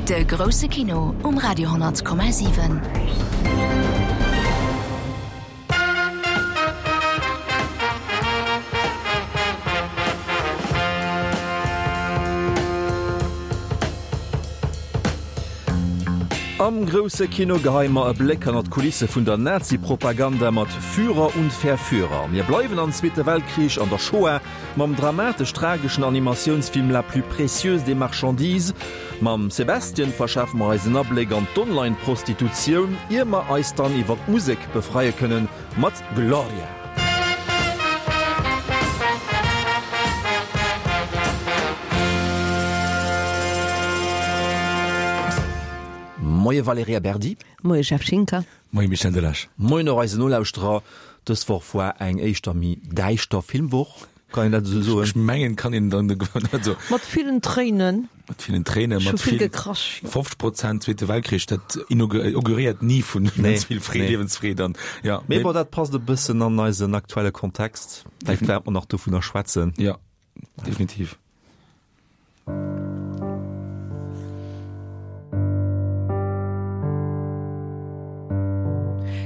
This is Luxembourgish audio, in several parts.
De grousse Kino um Radio 10,7. Am grousse Kino geheie mer e Bléck hannert d'Kulisse vun der Nazi-Propaganda mat Führer und Verführer. Mir bleiwen am Zweete Weltkrich an der Shoah mam dramatesch-trageschen Animatiounsfilm La plus précieuse des marchandises. Mam Sebastian verschafe mer eis en Abléck an d'Online-Prostitutioun, ier mer eis dann iwwer d'Musek befreie kënnen mat Gloria. Moie Valerija Berdi. Moie Jeff Schinker. Moie Michel Delage. Moien och eisen Nolauschterer. Dës Woch war eng éischter méi däischter Filmwoch. Kann een dat esou soen? Ech mengen, kann een dann dat so. Mat villen Tréinen. Mat villen Tréinen, mat vill gekrasch. 50 Prozent Zweete Weltkrich, dat inauguréiert ni vun ganz vill Freed, Liewensfreed an ja. Mee bon, dat passt e bëssen an eisen aktuelle Kontext. Vläicht wäerte mer nach dovunner schwätzen. Ja, definitiv.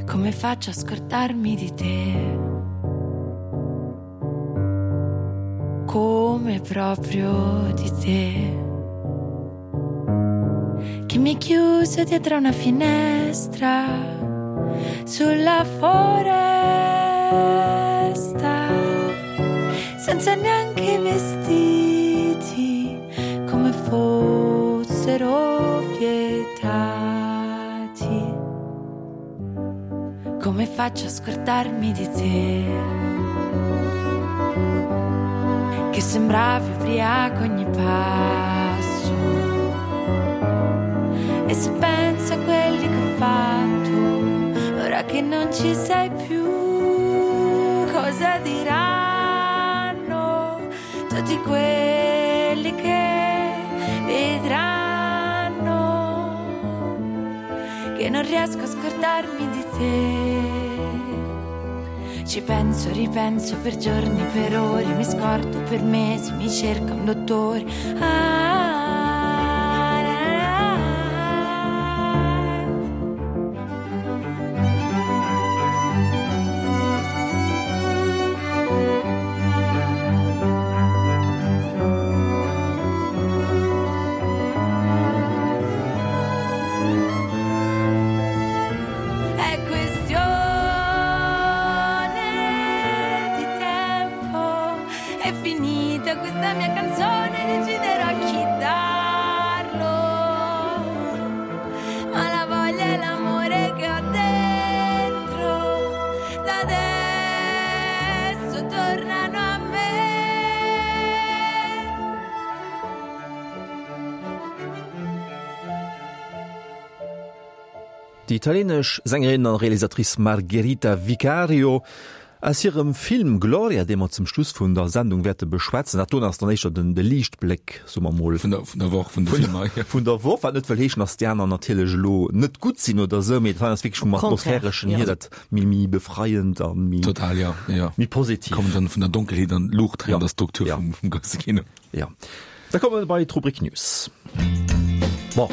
Come faccio a scordarmi di te? Come proprio di te? Che mi chiuso dietro una finestra sulla foresta senza neanche vestiti come fossero vietati. Come faccio a scordarmi di te? Che sembravi ubriaco ogni passo. E se penso a quelli che ho fatto, ora che non ci sei più, cosa diranno tutti quelli che vedranno che non riesco a scordarmi di te. Ci penso, ripenso per giorni, per ore, mi scordo per mesi, mi cerca un dottore. Ah, ah, ah. È questione di tempo, è finita questa mia canzone, deciderò a chi darlo. Ma la voglia e l'amore che ho dentro, da adesso tornano a me. Déi italienesch Sängerin an Realisatrice Margherita Vicario aus hirem Film Gloria, dee mer zum Schluss vun der Sendung wäerte beschwätzen. Dat doen ass dann éischter den de Liichtbléck, soe mer mol. Vun der, vun der Woch, vun de Filmer, jo. Vun der Woch, wat net wëll heeschen, datt déi aner natierlech elo net gutt sinn oder esou, mee dat hei ass wierklech vum Atmosphäreschen hier dat méi, méi befreiend a méi, Total, jo, jo. méi positiv. Kommen dann vun der Donkelheet an d'Luucht hei an der Struktur vum, vum grousse Kino. Jo. Da komme mer bei d'Rubrik News. Bon,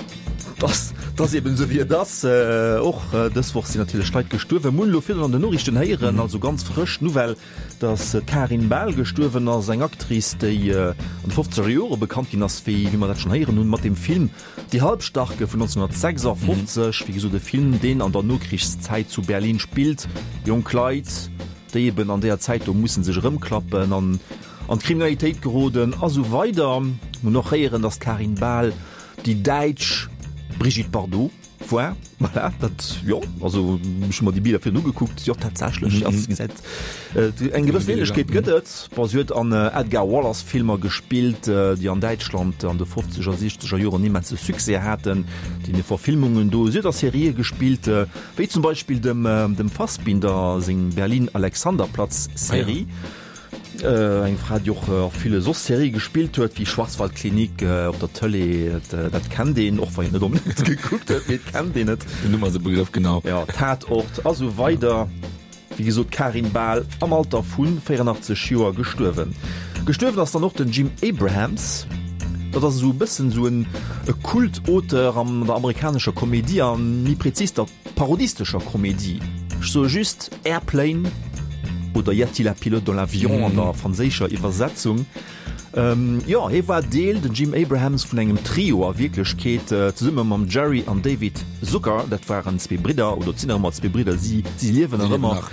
dass dass eben esou wéi et ass. Och dës Woch sinn natierlech Leit gestuerwen. Mir hunn elo virdrun an den Noriichten héieren, also ganz frësch d'Nouvelle, dass d'Karin Bahl gestuerwen ass, eng Actrice, déi an de fofzeger Jore bekannt ginn ass, wéi wéi mer dat schonn héieren hunn, mat dem Film Die Halbstarke vun 1956. Wéi gesot, e Film, deen an der Nokrichszäit zu Berlin spillt. Jonk Leit, déi eben an deeër Zäit do musse sech erëmklappen an an d'Kriminalitéit geroden a sou weider. Mir hunn och héieren, datt d'Karin Bahl déi däitsch Brigitte Bardot war. Voilà, dat, jo, also ech hu mer déi Biller virun ugekuckt, jo tatsächlech, mm -hmm. gesäit eng gewëssen Ähnlechkeet gëtt et. Bon, si huet an Edgar Wallace Filmer gespillt, déi an Däitschland an de 50er, 60er Joren immense Succès haten, déi Verfilmungen do. Si huet a Serië gespillt, wéi zum Beispill dem dem Fassbinder seng Berlin Alexanderplatz Serie. Ah, ja. Eng Fra, déi och a ville soss Serië gespillt huet, wéi Schwarzwaldklinik op der Tëlee, dat kennt een, och wann een net onbedéngt gekuckt huet, mee et kennt een et. Den Numm ass e Begrëff, genau. Jo, Tatort a sou weider. Wéi gesot, d'Karin Bahl am Alter vu 84 Joer gestuerwen. Gestuerwen ass dann och den Jim Abrahams. Dat ass esou e bëssen esou en e Kult-Auteur an der amerikanescher Komedie an méi prezis der parodistescher Komedie. Ech soe just Airplane oder Y a-t-il un pilote dans l'avion an der franséischer Iwwersetzung. Jo, hie war Deel, den Jim Abrahams, vun engem Trio a Wierklechkeet, zesumme mam Jerry an David Zucker. Dat waren zwee Bridder, oder et sinn nach ëmmer zwee Bridder, si si liewen nach ëmmer.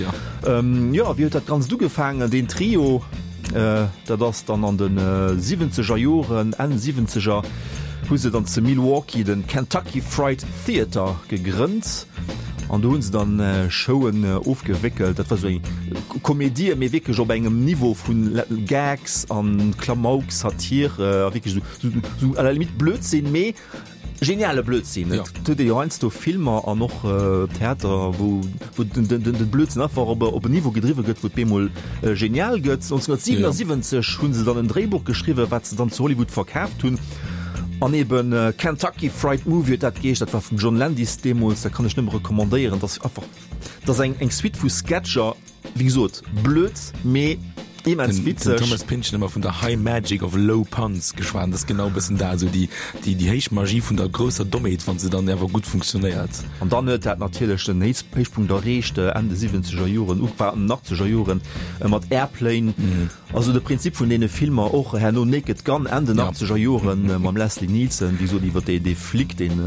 Jo, wéi huet dat Ganzt ugefaangen, deen Trio? Dat ass dann an de siwwenzeger Joren, Enn Siwwenzeger, hu se dann zu Milwaukee de Kentucky Fried Theater gegrënnt an do hu se dann Showen ofgewéckelt. Dat war sou eng Komedie, mee wierklech op engem Niveau vu Gags an Klamauk, Satire a wierklech sou à la limite Blödsinn, mee Geniale Blödsinn. Et huet ee jo heiansdo Filmer an och Theater, wou wou den den den Blödsinn einfach op e op en Niveau gedriwwe gëtt, wou et bemol genial gëtt. 1977 hu se dann en Dréibuch geschriwwen, wat se dann zu Hollywood verkaaft hunn. An eben Kentucky Fried Movie huet dat geheescht. Dat war vum John Landis deemools. Dat kann ech nëmme recommandéieren. Dat ass einfach, dat ass eng eng Suite vu Sketcher. Wéi gesot, blöd, mee immens witzeg. Den Thomas Pynchon ëmmer vun der High Magic of Low Puns geschwat, dat ass genau e bëssen dat, esou déi, déi, déi héich Magie vun der grousser Dommheet, wann se dann awer gutt funktionéiert. An dann huet dat natierlech den Héichpunkt erreecht, Enn de siwwenzeger Joren, Ufank achtzeger Joren, mat Airplane. Also de Prinzip vun deene Filmer, och herno Naked Gun, Enn den achtzeger Joren, mam Leslie Nielsen, wéi gesot, iwwer dee Flic, deen,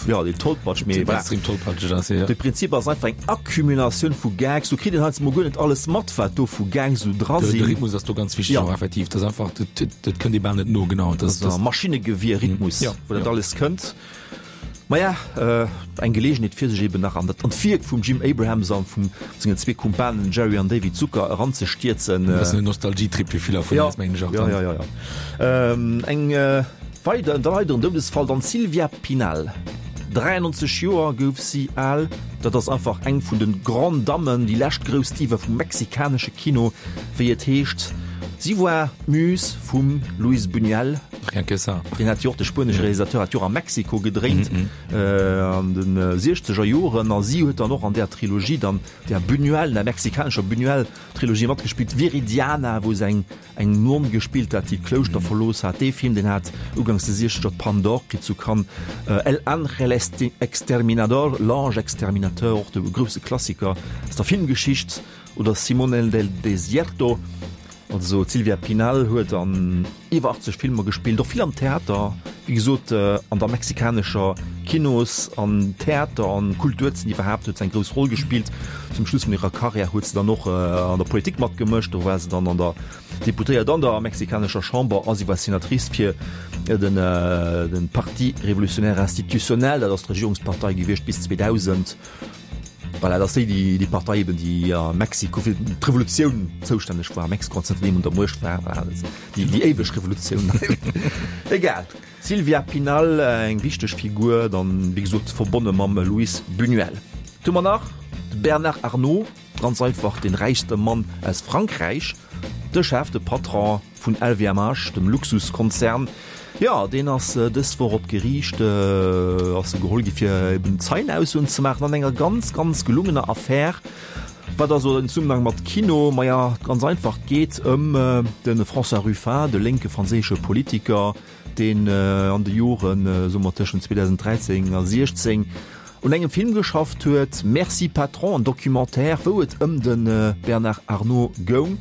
jo, deen tollpatsch, mee voilà. Extrem tollpatscheg ass, jo. De Prinzip ass einfach eng Accumulatioun vu Gags. Do kritt een heiansdo mol guer net alles mat, wat do vu Gags esou dra sinn. De Rhythmus ass do ganz wichteg och, effektiv. Dat ass einfach, dat kënnt ee bal net no, genau. Dat ass e Maschinnegewier-Rhythmus, wou dat alles kënnt. Maja, eng Geleegenheet fir sech eben nach an dat an d'Wierk vum Jim Abrahams an vum sengen zwee Kumpanen Jerry an David Zucker eranzestierzen. E bëssen en Nostalgietrip fir viller vun eis, mengen ech och dann. Jo, jo, jo, jo. Eng weider, en weideren Doudesfall dann, d'Sylvia Pinal. 93 Joer gouf si al. Dat ass einfach eng vun de Grandes Dammen, déi lescht grouss Diva vum mexikanesche Kino, wéi et heescht. Si war d'Muse vum Luis Buñuel. Rien que ça. Deen hat jo och, de spuenesche Realisateur hat jo och a Mexiko gedréint an de siechzeger Joren a si huet dann och an där Trilogie dann, där Buñuel, der mexikanescher Buñuel-Trilogie matgespillt, Viridiana, wou se eng eng Nonn gespillt hat, déi d'Klouschter verlooss hat. Dee Film, deen hat uganks de siechzeger d'Palme d'Or kritt zu Cannes. El Ángel Exterminador, L'Ange Exterminateur, och de grousse Klassiker aus der Filmgeschicht. Oder Simón el del Desierto. Also d'Silvia Pinal huet an iwwer 80 Filmer gespillt, och vill am Theater, wéi gesot an der mexikanescher Kinos an Theater an Kulturzeen iwwerhaapt huet se eng grouss Roll gespillt. Zum Schluss vun hirer Karriär huet se dann och an der Politik matgemëscht, do war se dann an der Deputéiert an der mexikanescher Chamber a si war Senatrice fir den Parti Révolutionnaire Institutionnel, dat ass d'Regierungspartei gewiescht bis 2000. Voilà, dat ass déi, déi Partei eben, déi a Mexiko fir d'Revolutioun zoustänneg war. Mexiko an zënterdeem un der Muecht war. Voilà, dat ass déi, déi éiweg Revolutioun. Egal. Silvia Pinal, eng wichteg Figur, dann, wéi gesot, verbonne mam Luis Buñuel. Du hu mer nach de Bernard Arnault, ganz einfach de räichste Mann aus Frankräich, de Chef, de Patron Vun LVMH, dem Luxuskonzern, jo, deen ass dës Woch op d'Geriicht ass e geholl gi fir eben Zeienaussoen ze maachen an enger ganz, ganz gelungener Affär. Wat also en Zesummenhang mat Kino? Maja, ganz einfach, et geet ëm de François Ruffin, de lénke franséische Politiker, deen an de Joren, soe mer tëschent 2013 a 16, un engem Film geschafft huet, Merci Patron, en Documentaire, wou et ëm de Bernard Arnault goung.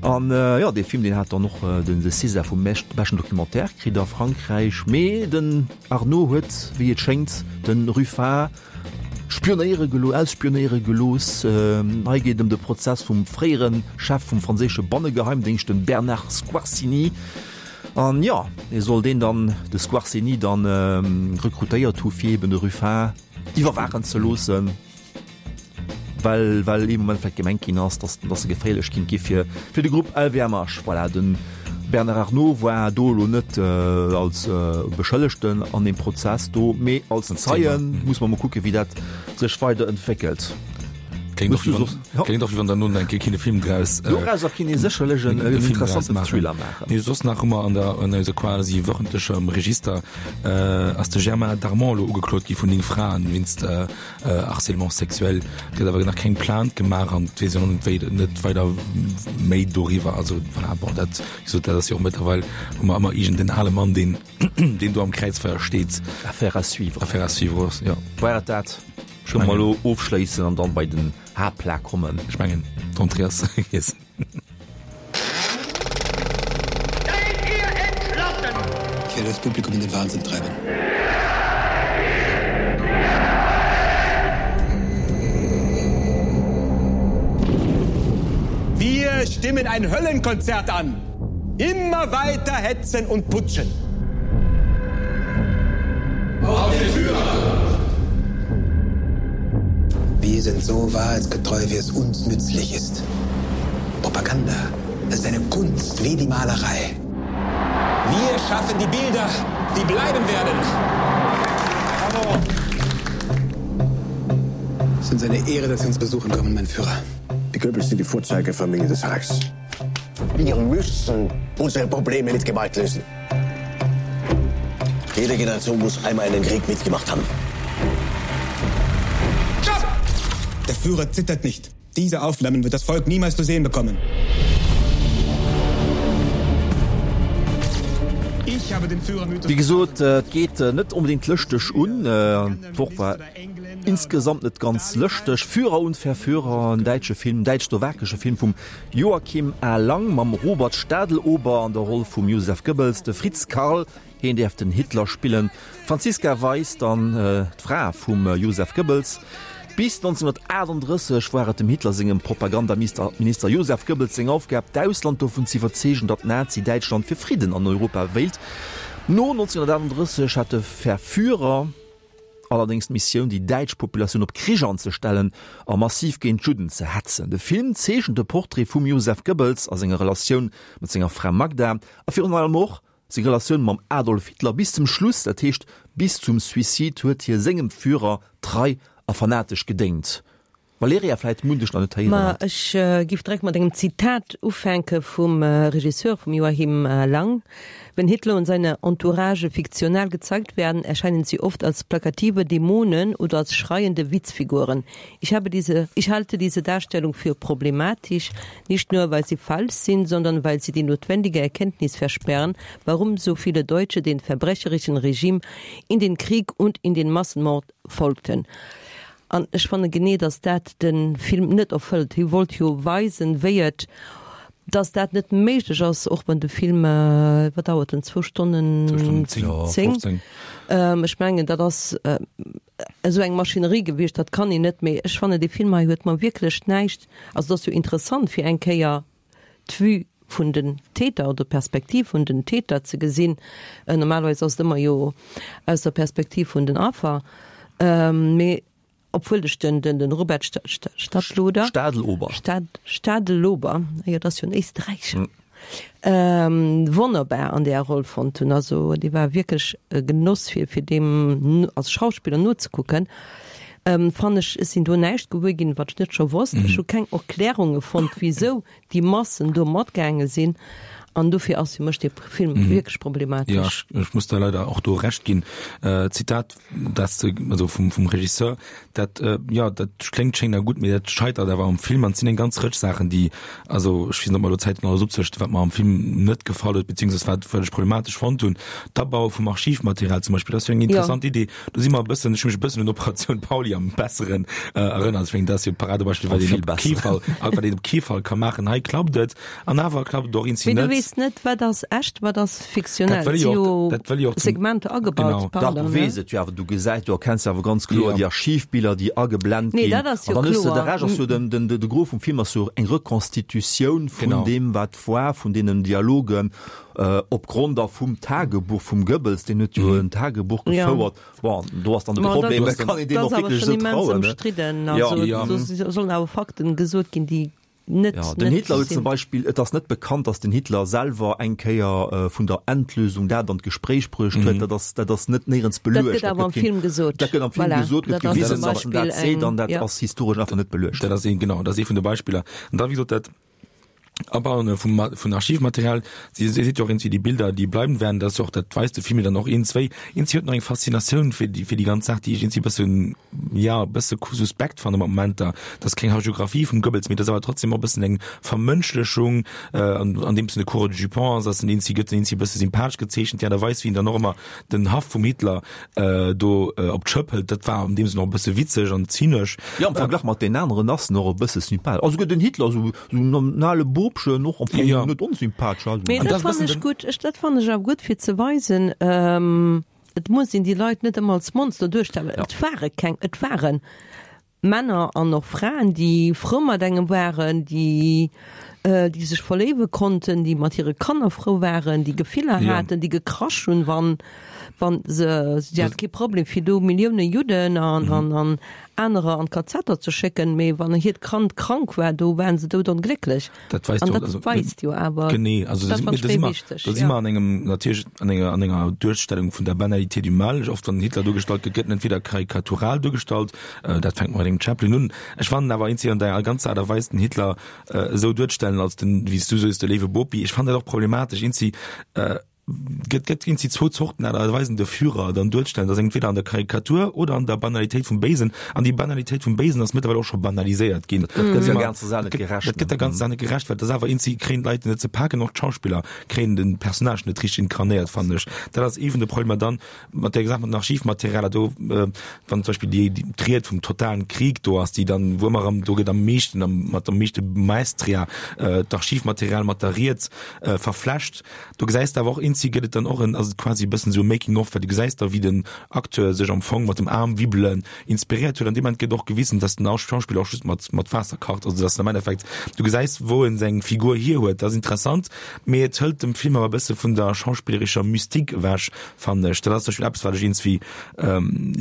An jo, dee Film, deen hat dann och den de César vum beschten Documentaire kritt a Frankräich. Mee den Arnault huet, wéi et schéngt, de Ruffin spionéiere gelo ausspionéiere gelooss. Hei geet et ëm de Prozess vum fréiere Chef vum franséische Bannegeheimdéngscht, dem Bernard Squarcini. An jo, e soll deen dann, de Squarcini dann rekrutéiert hu fir eben de Ruffin iwwerwaachen ze loossen, well well ee Moment vläicht gemengt ginn ass, datt datt e geféierlech kinnt gi fir fir de Grupp LVMH. Voilà, de Bernard Arnault war do elo net als Beschëllegten an deem Prozess do, mee als Zeien. Muss mer mol kucke wéi dat sech weider entwéckelt. Kléngt och wéi wann, kléngt och wéi wann der no eng Kéier kinne Film draus, Dorauser kinnt ee sécherlech en interessanten Thriller maachen. Nee, soss nach hu mer an der, an eiser quasi wöchentlechem Register, ass de Germain Darmon elo ugeklot gi vun 9 Fraen wéinst Harcèlement sexuel. Et gëtt awer nach keng Plainte gemaach an et weess een och net wéi, net weider méi doriwwer. Also voilà, bon, dat, wéi gesot, dat ass jo och mëttlerweil, hu mer ëmmer iergend en ale Mann, deen, deen do am Kräizfeier steet. Affaire à suivre. Affaire à suivre, jo. War et dat? Kënne mer elo ofschléissen an dann bei den Haaptplat kommen. Ech mengen, d'Entrée ass gegessen. Seid ihr entschlossen? Ich werde das Publikum in den Wahnsinn treiben. Wir stimmen ein Höllenkonzert an. Immer weiter hetzen und putschen. Auf den Führer! Wir sind so wahrheitsgetreu, wie es uns nützlich ist. Propaganda ist eine Kunst wie die Malerei. Wir schaffen die Bilder, die bleiben werden. Bravo. Es ist uns eine Ehre, dass Sie uns besuchen kommen, mein Führer. Die Goebbels sind die Vorzeigefamilie des Reichs. Wir müssen unsere Probleme mit Gewalt lösen. Jede Generation muss einmal einen Krieg mitgemacht haben. Stopp! Der Führer zittert nicht. Diese Aufnahmen wird das Volk niemals zu sehen bekommen. Wéi gesot, et geet net onbedéngt lëschteg un. D'Woch war insgesamt net ganz lëschteg. Führer und Verführer, en däitsche Film, däitsch-slowakesche Film vum Joachim A. Lang mam Robert Stadelober an der Roll vum Joseph Goebbels, de Fritz Karl, hien däerf den Hitler spillen, d'Franziska Weisz dann d'Fra vum Joseph Goebbels. Bis 1938 war et dem Hitler sengem Propagandaminister Joseph Goebbels seng Aufgab, d'Ausland dovun ze iwwerzeegen, datt Nazi-Däitschland fir Fridden an Europa wéilt. No 1938 hat de Verführer allerdéngs d'Missioun, déi däitsch Populatioun op Krich anzestellen a massiv géint d'Judden ze hetzen. De Film zeechent de Portrait vum Joseph Goebbels a senger Relatioun mat senger Fra Magda a virun allem och seng Relatioun mam Adolf Hitler bis zum Schluss, dat heescht bis zum Suicide huet hie sengem Führer trei a fanatesch gedéngt. Valerija, vläit munn dech nach net héieren Ma hat. ech giff direkt mat engem Zitat ufänke vum Regisseur, vum Joachim Lang, Wenn Hitler und seine Entourage fiktional gezeigt werden, erscheinen sie oft als plakative Dämonen oder als schreiende Witzfiguren. Ich habe diese, ich halte diese Darstellung für problematisch, nicht nur weil sie falsch sind, sondern weil sie die notwendige Erkenntnis versperren, warum so viele Deutsche den verbrecherischen Regime in den Krieg und in den Massenmord folgten. An ech fanne genee, datt dat de Film net erfëllt. Hie wollt jo weisen, wéi et, datt dat net méiglech ass, och wann de Film, wat dauert en, zwou Stonnen zéng? Ech mengen, dat ass esou eng Maschinerie gewiescht, dat kann een net. Mee ech fannen, dee Film hei huet mer wierklech näischt, also et ass jo interessant fir eng Kéier d'Vue vun den Täter oder d'Perspektiv vun den Täter ze gesinn. Normalerweis ass et ëmmer jo aus der Perspektiv vun den Affer. Mee obwuel ech den, den, den Robert Stadloder, Stadelober, Stadelober, jo, dat ass jo en Éisträicher, wonnerbar an där Roll fonnt hunn. Also dee war wierklech e Genoss fir, fir deem als Schauspiller nozekucken. Fannen ech, ech sinn do näischt gewuer ginn, wat ech net scho wosst. Ech hu keng Erklärunge fonnt, wisou déi Massen do matgaange sinn. An dofir ass fir mech dee Film wierklech problematesch. Jo, ech, ech muss der leider och do Recht ginn. Zitat, dat s de, also vum, vum Regisseur, dat, jo, dat kléngt schéin a gutt, mee dat scheitert awer am Film. An et sinn eng ganz Rëtsch Saachen, déi, also ech weess net, ob mer elo Zäit hunn, alles opzelëschten, wat mer am Film net gefall huet, beziehungsweise wat, wat ech problematesch fonnt hunn. D'Abaue vum Archivmaterial zum Beispill, dat ass jo eng interessant Idee. Do si mer e bëssen, ech hu mech e bëssen un Operatioun Pauli am Besseren erënnert. Ech mengen, dat ass jo d'Paradebeispill, wat een op kee Fall, wat een op kee Fall ka maachen. Hei klappt et an awer klappt et och eenzi Mee du net. weess net, wat ass echt, wat ass fiktionell. Dat wëll Et ech si och, jo dat wëll ech och zum, Segmenter agebaut, genau. Dach, du pardon, ne? weess et jo awer, du gesäis, du erkenns jo awer ganz kloer Jo. déi Archivbiller, déi ageblent Nee, ginn. dat ass An jo dann hues de, de kloer. Rescht ass jo den, den, de Gros vum Film ass jo eng Reconstitutioun vun Genau. deem, wat war, vun deenen Dialogen, opgrond da vum Tagebuch vum Goebbels, deen huet jo en Tagebuch gefouert. Bon, do ass dann de Problem, kann een deem och wierklech esou trauen? Dat ass awer schonn immens ëmstridden. Also do sollen awer Fakten gesot ginn, déi. Net, ja, den Hitler huet zum Beispill, et ass net bekannt, datt den Hitler selwer eng Kéier vun der Endlösung dat an d'Gespréich bruecht huet. Dat ass, dat ass net néierens beluecht. Dat gëtt awer am Film gesot. Dat gëtt am Film gesot, gëtt gewisen, datt en dat seet, an dat ass historesch einfach net beluecht. Dat ass een, genau, dat ass ee vun de Beispiller. An da, wéi gesot, dat Abauen vum, vun Archivmaterial, si seet jo och iergendwéi, déi Bilder, déi bleiben werden, dat ass jo och, dat weist de Film jo dann och iergendswéi. Iergendwéi huet en och eng Faszinatioun fir déi, fir déi ganz Saach, déi ech iergendwéi e bëssen, jo, e bësse suspekt fanne mat Momenter. Dat ass keng Hagiographie vum Goebbels, mee dat ass awer trotzdem och e bëssen eng Vermënschlechung, an, andeems en de Coureur de Jupon ass, ass en iergendwéi, gëtt en iergendwéi e bësse sympathesch gezeechent, déi Aart a Weis, wéi en dann och ëmmer den Haff vum Hitler do op d'Schëpp hëlt, dat war an deem Sënn och e bësse witzeg an zynesch. Jo, am Verglach mat deenen aneren ass en och e bësse sympathesch. Also gëtt den Hitler esou Sou en ale Bobchen, och am Fong Ja. net onsympathesch. Also. Mee An dat dat fannen bëssen ech den- gutt. Ech, dat fannen ech awer gutt fir ze weisen, et muss een déi Leit net ëmmer als Monster duerstellen. Ja. Et ware keng, et ware Männer an och Fraen, déi frou mat engem waren, déi, déi sech verléiwe konnten, déi mat hire Kanner frou waren, déi Gefiller Ja. haten, déi gekrasch hunn, wann, wann se, si hate kee Problem fir do Millioune Judden an, an, an anerer an d'Kazetter ze schécken, mee wann hiert Kand krank war, do waren se doudonglécklech. Dat weist An jo, dat also, weist jo awer, genee, also dat da fand ech si méi mer, wichteg, da si ja. mer an engem, natierlech an enger, an enger Duerstellung vun der Banalité du mal. Oft wann den Hitler duergestallt gëtt, gëtt en entweder karikatural duergestallt, dat fänkt mat engem Chaplin un. Ech fannen awer eenzeg an der ganzer Aart a Weis den Hitler esou duerzestellen als den, wéi s du soos, de léiwe Bopi, ech fannen dat och problematesch. Eenzeg, Gëtt gëtt ginn si zwou Zorten Aart a Weisen de Führer dann duerzstellen, dat ass entweder an der Karikatur oder an der Banalitéit vum Béisen. An déi Banalitéit vum Béisen ass mëttlerweil och scho banaliséiert ginn. Dat gëtt der ganzer Saach net gerecht. Dat gëtt der ganzer Saach net gerecht, well dat ass awer eenzi kréien d'Leit net ze paken, och d'Schauspiller kréien den Personnage net richteg inkarnéiert, fannen ech. Dat ass ee vun de Problemer. Dann mat där Saach mat den Archivmaterialer do, wann zum Beispill déi d'Ried vum totalen Krieg do ass, déi dann, wou ëmmer erëm, do gëtt am meeschten, mat am meeschte Maestria d'Archivmaterial mat der Ried verflecht. Do gesäis de awer och eenzi gëtt et dann och en, ass et quasi e bëssen esou e Making of, well du gesäis da wéi den Acteur sech am Fong mat dem Aarm wibbelen inspiréiert huet. An deem Moment gëtt och gewisen, dass den Schauspiller och just mat mat Waasser kacht, also dass en am Endeffekt, du gesäis wou en seng Figur hier huet. Dat ass interessant, mee et hëlt dem Film awer e bësse vun der schauspillerescher Mystique ewech, fannen ech. Dat ass zum Beispill eppes wat ech iergendswéi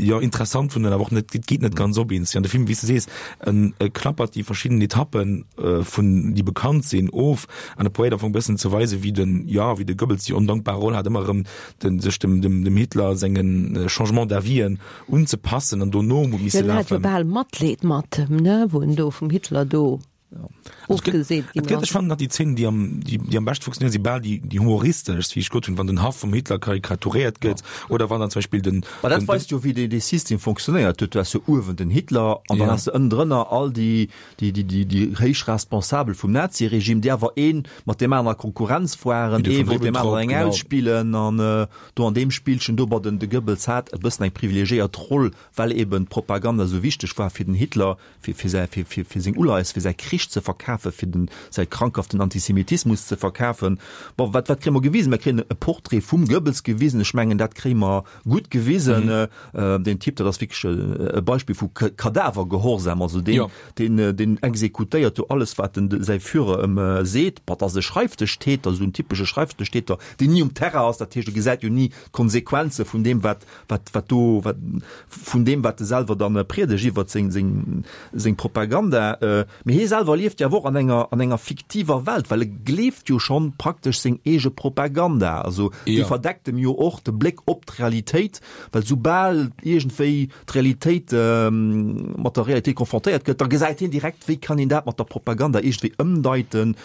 jo interessant fannen, awer och net, et geet net ganz op iergendswéi. An de Film, wéi s de sees, en klappert déi verschidden Etappen vun déi bekannt sinn of, An e probéiert am Fong e bëssen ze weisen, wéi den, jo, wéi de Goebbels déi ondankbar Roll hat, ëmmer erëm den, sech dem, dem, dem Hitler sengen Changement d'avis'en unzepassen an dono Jo, misse en hat jo lafen. bal Matleed mat em, ne, wou en do vum Hitler do Also et gëtt, ofgeseet et ginn gëtt, ech ass. fannen, datt déi Zeen, déi am, déi, déi am beschte funktionéieren, si bal déi, déi humoristeschst, wéi ech gesot hunn, wann den Haff vum Hitler karikaturéiert gëtt oder wann dann zum Beispill den, Ma dat den, den weist jo, wéi dee, dee System funktionéiert huet. Du has jo uewen den Hitler an dann Ja. has de ënnendrënner all déi, déi, déi, déi, déi héich Responsabel vum Naziregime, déi awer ee mat deem anere a Konkurrenz waren, Wéi de ee von wollt deem aneren Ribbentrop, eng genau. ausspillen an do an deem Spillchen do, bon, den, de Goebbels hat e bëssen eng privilegiéiert Roll, well eben d'Propaganda esou wichteg war fir den Hitler, fir, fir säi, fir, fir, fir seng Uleies, fir säi Krich ze verkafen, fir den, säi krankhaften Antisemitismus ze verkafen. Bon, wat, wat kréie mer gewisen? Mer kréien e Portrait vum Goebbels gewisen. Ech mengen, dat kréie mer gutt gewisen. Deen Typ, dat ass wierklech e Beispill vu Kadavergehorsam. Also deen, deen, deen exekutéiert do alles, wat den, säi Führer ëm seet. Bon, dat ass e Schreifdëschtäter, esou en typesche Schreifdëschtäter, deen ni um Terrain ass. Dat heescht, e gesäit jo ni d'Konsequenze vun deem, wat, wat, wat do, wat, vun deem, wat e selwer dann priedegt iwwert seng, seng, seng Propaganda. Mee hie selwer lieft jo awer och an enger, an enger fiktiver Welt, well e gleeft jo schonn praktesch seng eege Propaganda. Also déi verdeckt em jo och de Bléck op d'Realitéit, well soubal iergendwéi d'Realitéit mat der Realitéit konfrontéiert gëtt, da gesäit hien direkt, wéi kann een dat mat der Propaganda iergendwéi ëmdeiten,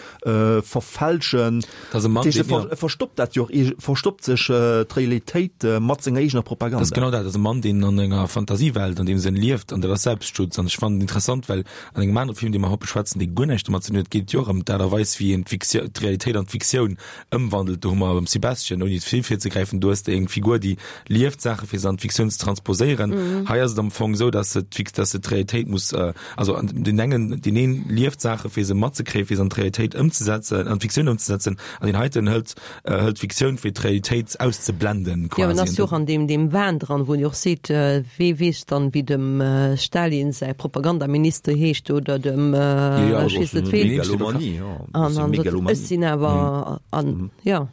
verfälschen. Dat ass e Mann, Dat heescht, deen, e verstoppt dat jo och, verstoppt sech d'Realitéit mat senger eegener Propaganda. Dat ass genau dat. Dat ass e Mann, deen an enger Fantasiewelt, an deem Sënn lieft, an dat ass Selbstschutz. An ech fannen et interessant, well an engem anere Film, dee mer haut beschwätzen, dee guer näischt domat ze dinn huet, geet et jo och ëm d'Aart a Weis, wéi een d'Realitéit an d'Fiktioun ëmwandelt. Do hu mer beim Sebastian, ouni ze vill virzegräifen, do hues de eng Figur, déi lieft Saache fir se an d'Fiktioun ze transposéieren. Hei ass et am Fong esou, dass se d'Fik-, dass se d'Realitéit muss, also an deen engen, deen een lieft Saache fir se matzekréien, fir se an d'Realitéit ëmzesetzen, an d'Fiktioun ëmzesetzen, an deen heiten hëlt, hëlt d'Fiktioun fir d'Realitéit auszeblenden Jo, en quasi. ass jo och an deem, deem Wahn dran, wou en jo och seet, wee weess dann, wéi dem Stalin säi Propagandaminister heescht oder dem, ech weess net ween. Megalomanie, jo, An, an dat, ech sinn awer, an, jo.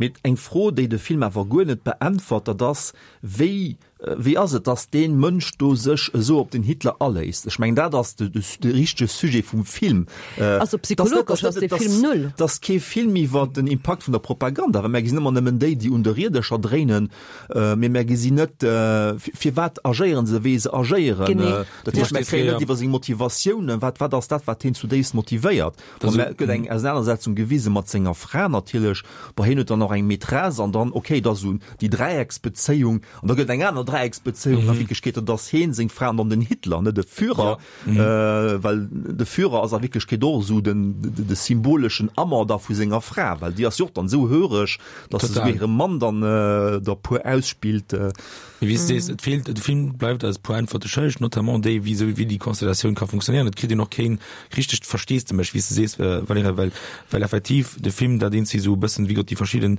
Mee eng Fro, déi de Film awer guer net beäntwert, dat ass, wéi. Wéi ass et, datt dee Mënsch do sech esou op den Hitler aléisst? Ech mengen, dat ass de richtege Sujet vum Film. Also psychologesch ass dee Film null. Dat ass kee Film iwwer den Impakt vun der Propaganda, well mär gesinn ëmmer nëmmen déi, déi un de Riedercher dréinen, mee mär gesinn net, firwat agéieren se, wéi se agéieren. Dat heescht, mär kréien net iwwer seng Motivatiounen, wat wat ass dat, wat hien zudéifst motivéiert. Bon, mä et gëtt eng Ausenanersetzung gewise mat senger Fra natierlech. Bon, hien huet dann och eng Maîtresse an dann, okay, da sou déi Dräiecksbezéiung. An da gëtt eng aner Dräiecksbezéiung a Wierklechkeet, dat ass heen, seng Fra an dann den Hitler, net de Führer, well de Führer ass a Wierklechkeet och esou den, de symboleschen Amant da vu senger Fra, well déi ass jo och dann esou höreg, datt se souguer hire Mann dann der puer ausspillt. Mee wéi s de sees, et feelt, de Film bleift eis e puer Äntwerte schëlleg, notamment déi, wéi esou, wéi déi Konstellatioun ka funktionéieren. Et kritt een och keen richtegt Versteesdemech, wéi s de sees, Valerija, well, well effektiv de Film dat eenzeg esou e bëssen, wéi gesot, déi verschidden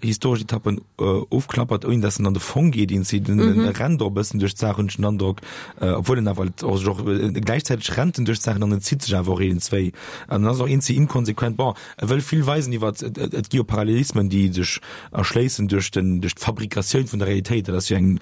historesch Etappen ofklappert, ouni dass en an de Fong geet, een zitt en mhm. rennt och e bëssen duerch d'Saach, hunn ech den Androck, obwuel en awer och sech och gläichzäiteg rennt en duerch d'Saachen an en zitt sech awer och een zwéi. An en ass och een inkonsequent. Bon, e wëll vill weisen iwwer et gi jo Parallelismen, déi sech erschléissen duerch den duerch d'Fabrikatioun vun der Realitéit. Dat ass jo eng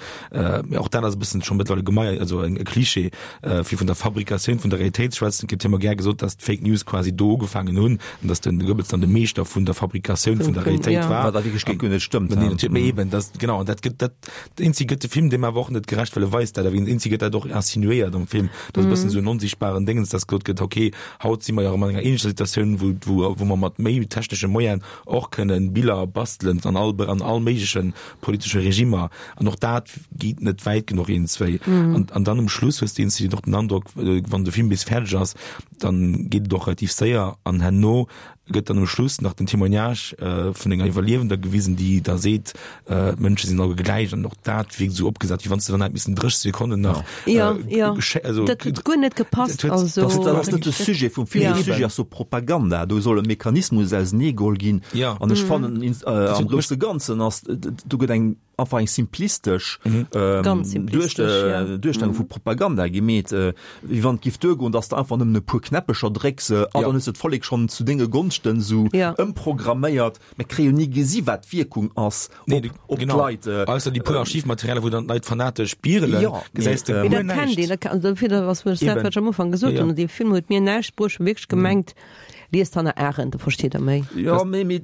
och dat ass e bëssen scho mëttlerweile gemeier, also e Klischee, fir vun der Fabrikatioun vun der Realitéit ze schwätzen. Et gëtt jo ëmmer gär gesot, dass d'Fake News quasi do ugefaangen hunn. an dass den Goebbels dann de Meeschter vun der Fabrikatioun vun der Realitéit ja. war. Wat a Wierklechkeet guer net stëmmt. Nee, natierlech, mee eben, das, genau, an dat gëtt, dat, eenzi gëtt de Film deem awer och net gerecht, well e weist dat, awer eenzi gëtt dat och insinuéiert am Film, dass e bëssen esou en onsichtbaren Déngens, dass gesot gëtt, okay, haut si mer jo erëm an enger ähnlecher Situatioun, wou, wou, wou mer mat méi technesche Moyenen och kënnen Biller bastelen an all, an all méigleche politesche Regimer, an och dat geet net wäit genuch eenzwéi. An, an dann um Schluss hues de eenzi och den Androck, wann de Film bis fäerdeg ass, dann geet et och relativ séier an herno gëtt dann um Schluss nach den Témoignage vun enger Iwwerliewender gewisen, déi da seet, d'Mënsche sinn alleguer gläich an och dat wierkt esou opgesat, wéi wann s de dann hätt missen 30 Sekonnen nach Ja, ja. also Dat huet guer net gepasst. Dat huet, also, dat ass net de Sujet vum Film. De Sujet ass so Propaganda. Do soll e Mechanismus auseneegeholl ginn. Ja. An ech fannen, am grousse Ganzen ass, do gëtt eng einfach eng simplistesch Duerstellung vu Propaganda gemeet, wéi wann et giff duergoen, datt s de einfach nëmmen e puer Knäppecher drécks a dann hues de d'Vollek schonn zu denge Gonschten esou ëmprogramméiert. Mir kréie jo ni gesi wat d'Wierkung ass op d'Leit. Ausser déi puer Archivmaterialer, wou dann d'Leit fanatesch bierelen, gesäis de guer näischt. Mee dat kennt een, dofir dat ass dat, wat ech am Ufank gesot hunn, dee Film huet mir näischt bruecht, ech hu wierklech gemengt, Liest Hannah Arendt, da versteet der méi. Jo, mee, mee,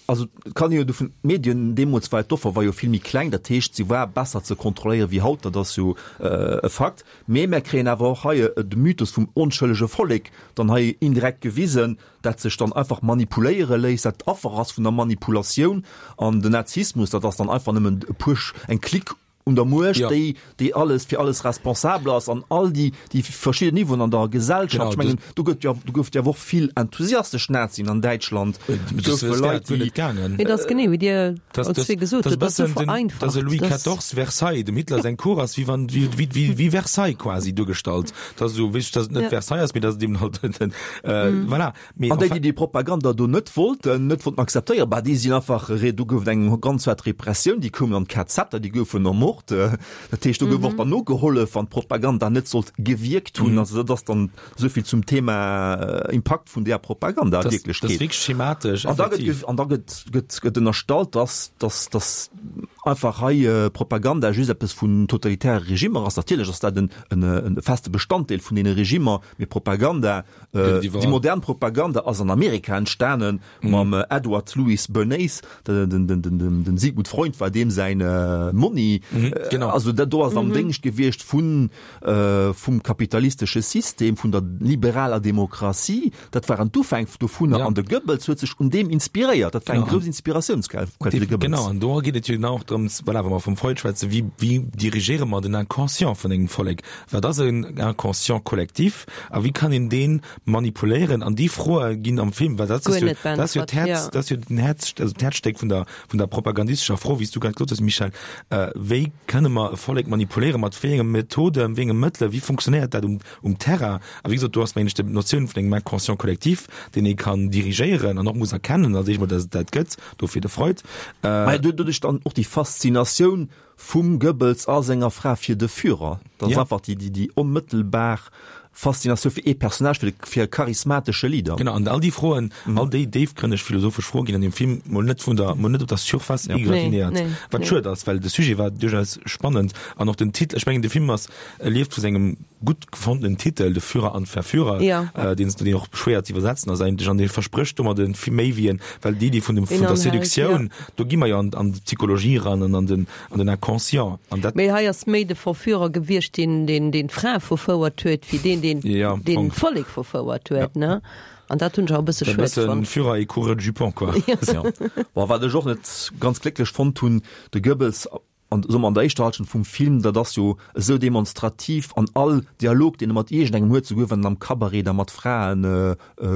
also et kann ee jo dovun, d'Medien deemools war d'Offer war jo vill méi kleng, dat heescht, se war besser ze kontrolléiere wéi haut, dat ass jo e Fakt. Mee mär kréien awer och hei de Mythos vum onschëllege Vollek dann hei indirekt gewisen, dat sech dann einfach manipuléiere léisst, dat Affer ass vun der Manipulatioun. An den Nazismus, dat ass dann einfach nëmmen e puer, eng Clique un der Muecht, ja. déi, déi alles fir alles responsabel ass an all déi, déi verschiedenen Niveauen an der Gesellschaft. Genau, ich mengen, do gëtt ja, do gouf ja och vill enthusiastesch Nazien an Däitschland. Äh, goufe Leit, déi gaangen. Mee das genee wéi Dir das, das, gesot das, das, das, das Louis XIV Versailles, dem Hitler sein Cour ass wie wann wie, wie, wie, wie Versailles quasi duergestallt. Das so wéi dat net ja. Versailles ass, mee dat dem halt äh, mm. voilà. Mee An déi, déi déi Propaganda do net wollten, net wollten akzeptéieren, bah, déi sinn einfach, do gouf et eng ganz haart Repressioun, déi koumen an d'KZer, déi goufen ermort. Dat heescht, do gouf och dann nogehollef, wann d'Propaganda net sollt gewierkt hunn. Also dat ass dann esou vill zum Thema Impakt vun där Propaganda a Wierklechkeet. Dat ass wierklech schematesch, effektiv. An da gëtt, an da gëtt, gëtt, gëtt ënnerstallt, dass, dass, dass einfach hei Propaganda just eppes vun totalitäre Regimmer ass. Natierlech ass dat en, en, e feste Bestanddeel vun deene Regimmer, mee Propaganda, Déi modern Propaganda ass an Amerika entstanen mam Edward Louis Bernays, den Sigmund Freud war deem säin Monni. Also dat do ass am Déngscht gewiescht vun vum kapitalistesche System, vun der liberaler Demokratie. Dat waren d'Ufäng dovunner an de Goebbels huet sech un deem inspiréiert. Dat war eng grouss Inspiratiounsquell fir de Goebbels. Genau, an do geet et jo genau och drëms, voilà, wa mer vum Freud schwätzen, wéi wéi dirigéiere mer den Inconscient vun engem Vollek? Wat ass en Inconscient collectif a wéi kann een dee manipuléieren? An déi Froe ginn am Film, well dat ass jo, dat ass jo d'Häerz, dat ass jo den Häerz, also d'Häerzstéck vun der, vun der propagandistescher Fro, wéi s du grad gesot hues, Michèle, Wéi kënne mer e Vollek manipuléieren, mat wéi enge Methoden, wéi enge Mëttelen, wéi funktionéiert dat um, um Terrain? A wéi gesot, do ass, mengen ech, d'Notioun vun engem Inconscient collectif, deen ee kann dirigéieren an och muss erkennen, als éischt mol, datt et dat gëtt, dofir de Freud. Mä doduerch dann och déi Faszinatioun vum Goebbels a senger Fra fir de Führer. Dat ass einfach déi, déi, déi onmëttelbar. Faszinatioun fir ee Personnage, fir de, fir e charismatesche Leader. Genau, an all déi Froen, all déi déifgrënneg philosophesch Froe ginn an deem Film mol net vun der, mol net op der Surface égratignéiert, Nee, nee, wat nee. schued ass, well de Sujet war duerchaus spannend an och den Titel, ech mengen de Film ass, e lieft vu sengem gutt gefondenen Titel, De Führer an Verführer, Ja. deen s, deen och schwéier ze iwwersetzen ass eigentlech an dee versprécht domadde vill méi wéi en, well d'Iddi vun dem, vun der Inhalt, Seduktioun, ja. do gi mer jo an, an d'Psychologie eran an an den, An den Inconscient, an dat. Mee hei ass méi de Verführer gewiescht, deen deen deen d'Fra verfouert huet, wéi deen, deen Ja, deen Fong. d'Vollek verfouert huet, Ja. ne? An dat hunn ech awer e bësse E schued bëssen fonnt. Führer et coureur de jupon, quoi. Ja. Bon, wat ech och net ganz glécklech fonnt hunn, de Goebbels an, soe mer, an der éischter Halschent vum Film, dat ass jo esou demonstrativ an all Dialog, deen e mat iergendengem huet, souguer wann en am Cabaret da mat Fraen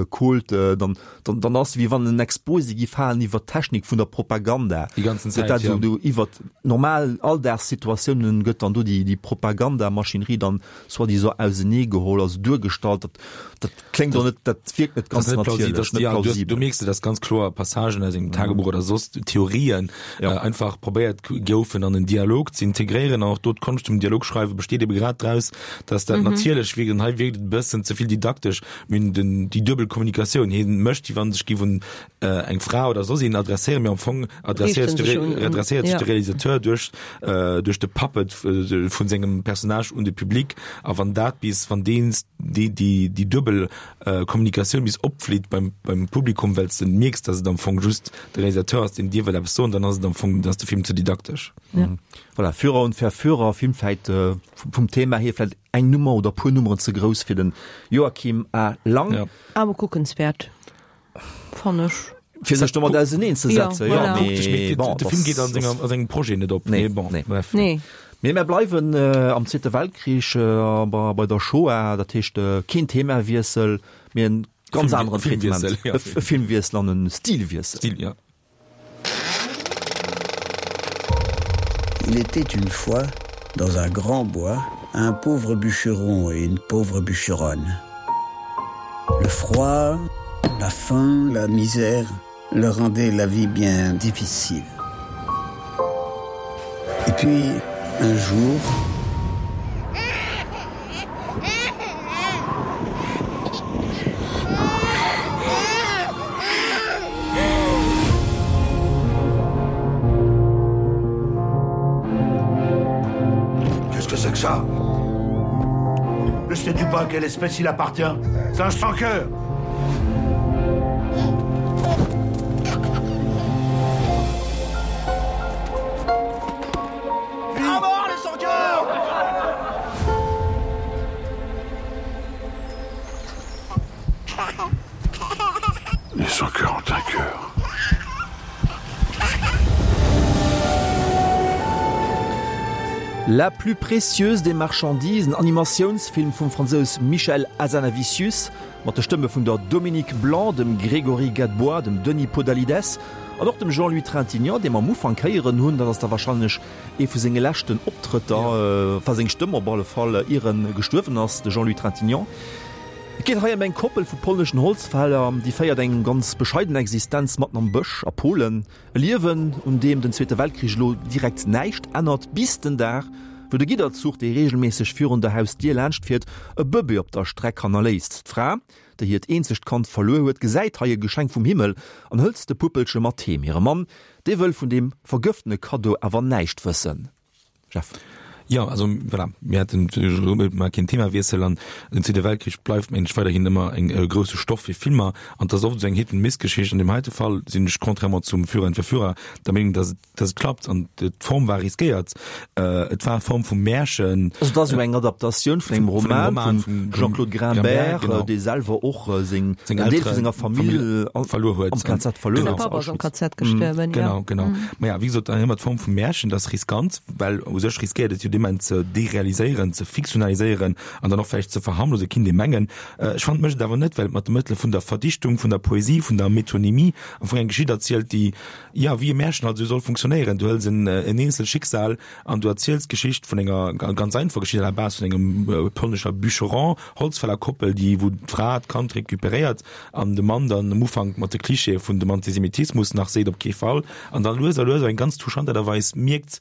Kult, dann, dann, dann ass wéi wann en Exposé gi falen iwwer d'Technik vun der Propaganda. Déi ganzen Gëtt Zäit, dat ja. esou do iwwer normal Alldagssituatiounen gëtt dann do déi, déi Propagandamaschinerie dann soi-disant auseneegeholl, also duergestallt. Dat, dat kléngt och net, dat wierkt net Das ganz ass net plausibel, natierlech, das, net ja, du, du plausibel. mierks, dass ganz kloer Passagen aus engem Tagebuch oder soss Theorien Ja. äh, einfach probéiert goufen an en Dialog ze integréieren. An och do d'Konscht vum Dialogschreiwe besteet ebe grad draus, dass dat natierlech wierkt. An hei wierkt et e bëssen ze vill didaktesch. Mir hunn den, déi duebel Kommunikatioun. Hien mécht, wéi wann sech géif un eng Fra oder soss een adresséieren, mee am Fong adresséiert sech de, adresséiert sech de Realisateur duerch, duerch de Puppet vun sengem Personnage un de Public. A wann dat bis, wann deen, déi, déi, déi duebel Kommunikatioun bis opflitt beim, beim Publikum, well s de mierks, dass et am Fong just de Realisateur ass, deen dir wëll eppes soen, dann ass et am Fong, dann ass de Film ze didaktesch. Ja. Voilà, Führer und Verführer, Film vläit vum Thema hier vläit Eng Nummer oder puer Nummeren ze grouss fir den Joachim A. Lang. Ja. Awer kuckenswäert, fann ech. Fir sech domat auseneen ze setzen, Ja, voilà. jo, mee bon, De Film geet an senger, a sengem Projet net op. Nee, Mee bon, nee. bref. Nee. Mee mär bleiwen am Zweete Weltkrich, bei, bei der Shoah, dat heescht keen Themawiessel, mee en ganz Film, aneren Filmwiessel, Tretement. ja. E Filmwiessel an e Stilwiessel. Stil, ja. Il était une fois, dans un grand bois, un pauvre bûcheron et une pauvre bûcheronne. Le froid, la faim, la misère leur rendaient la vie bien difficile. Et puis, un jour, Qu'est-ce que c'est que ça Ne sais-tu pas à quelle espèce il appartient C'est un sans-cœur Les sans-cœur ont un cœur. La plus précieuse des marchandises, en Animatiounsfilm vum Fransous Michel Hazanavicius, mat de Stëmme vun der Dominique Blanc, dem Grégory Gadebois, dem Denis Podalydès an och dem Jean-Louis Trintignant, dee mer am Ufank héieren hunn. Dat ass da warscheinlech ee vu senge leschten Optrëtter, enfin seng Stëmm op alle Fall, ier en gestuerwen ass, de Jean-Louis Trintignant. Et geet hei ëm eng Koppel vu polneschen Holzfäller, déi féiert eng ganz bescheiden Existenz matten am Bësch a Polen. E Liewen, un deem den Zweete Weltkrich elo direkt näischt ännert, bis den Dag, wou de Gidderzuch, dee reegelméisseg virun der Hausdier laanscht fiert, e Bëbee op der Streck hannerléisst. D'Fra, déi hiert eenzegt Kand verluer huet, gesäit hei e Geschenk vum Himmel an hëlt de Puppelche mat heem. Hire Mann, dee wëll vun deem vergëftene Kaddo awer näischt wëssen. Jeff. Jo, also voilà, mir haten mar keen Themawiessel an den Zweete Weltkrich bleift mengen ech weiderhin ëmmer eng e grousse Stoff fir Filmer an et ass oft esou eng Hit-and-Miss-Geschicht. An deem heite Fall sinn ech, contrairement zum Führer und Verführer, der Meenung, datt et datt et klappt an d'Form war riskéiert. Et war Form vum Märchen. Also et ass jo eng Adaptatioun vun engem Roman vum Jean-Claude Grimbert, dee selwer och seng en Deel vu senger Famill verluer huet, am KZ verluer Säi huet. Papp ass am KZ gestuerwen, jo. Genau, genau. Maja, wéi gesot, dann hu mer d'Form vum Märchen, dat ass riskant, well u sech riskéiert et jo dee Moment ze derealiséieren, ze fiktionaliséieren an dann och vläicht ze verharmlose, kinnt ee mengen. Ech fannen, et mécht et awer net, well et mat de Mëttele vun der Verdichtung, vun der Poesie, vun der Metonymie am Fong eng Geschicht erzielt, déi, jo, wéi e Märchen halt esou soll funktionéieren. Du hëls en eenzel Schicksal an du erziels d'Geschicht vun enger ganz einfacher Geschicht à la base vun engem polnescher Bûcheron, Holzfällerkoppel, déi, wou d'Fra d'Kand recuperéiert an de Mann dann am Ufank mat de Klischeeë vun dem Antisemitismus nach seet, op kee Fall, an dann lues a lues op eng ganz touchant Aart a Weis mierkt,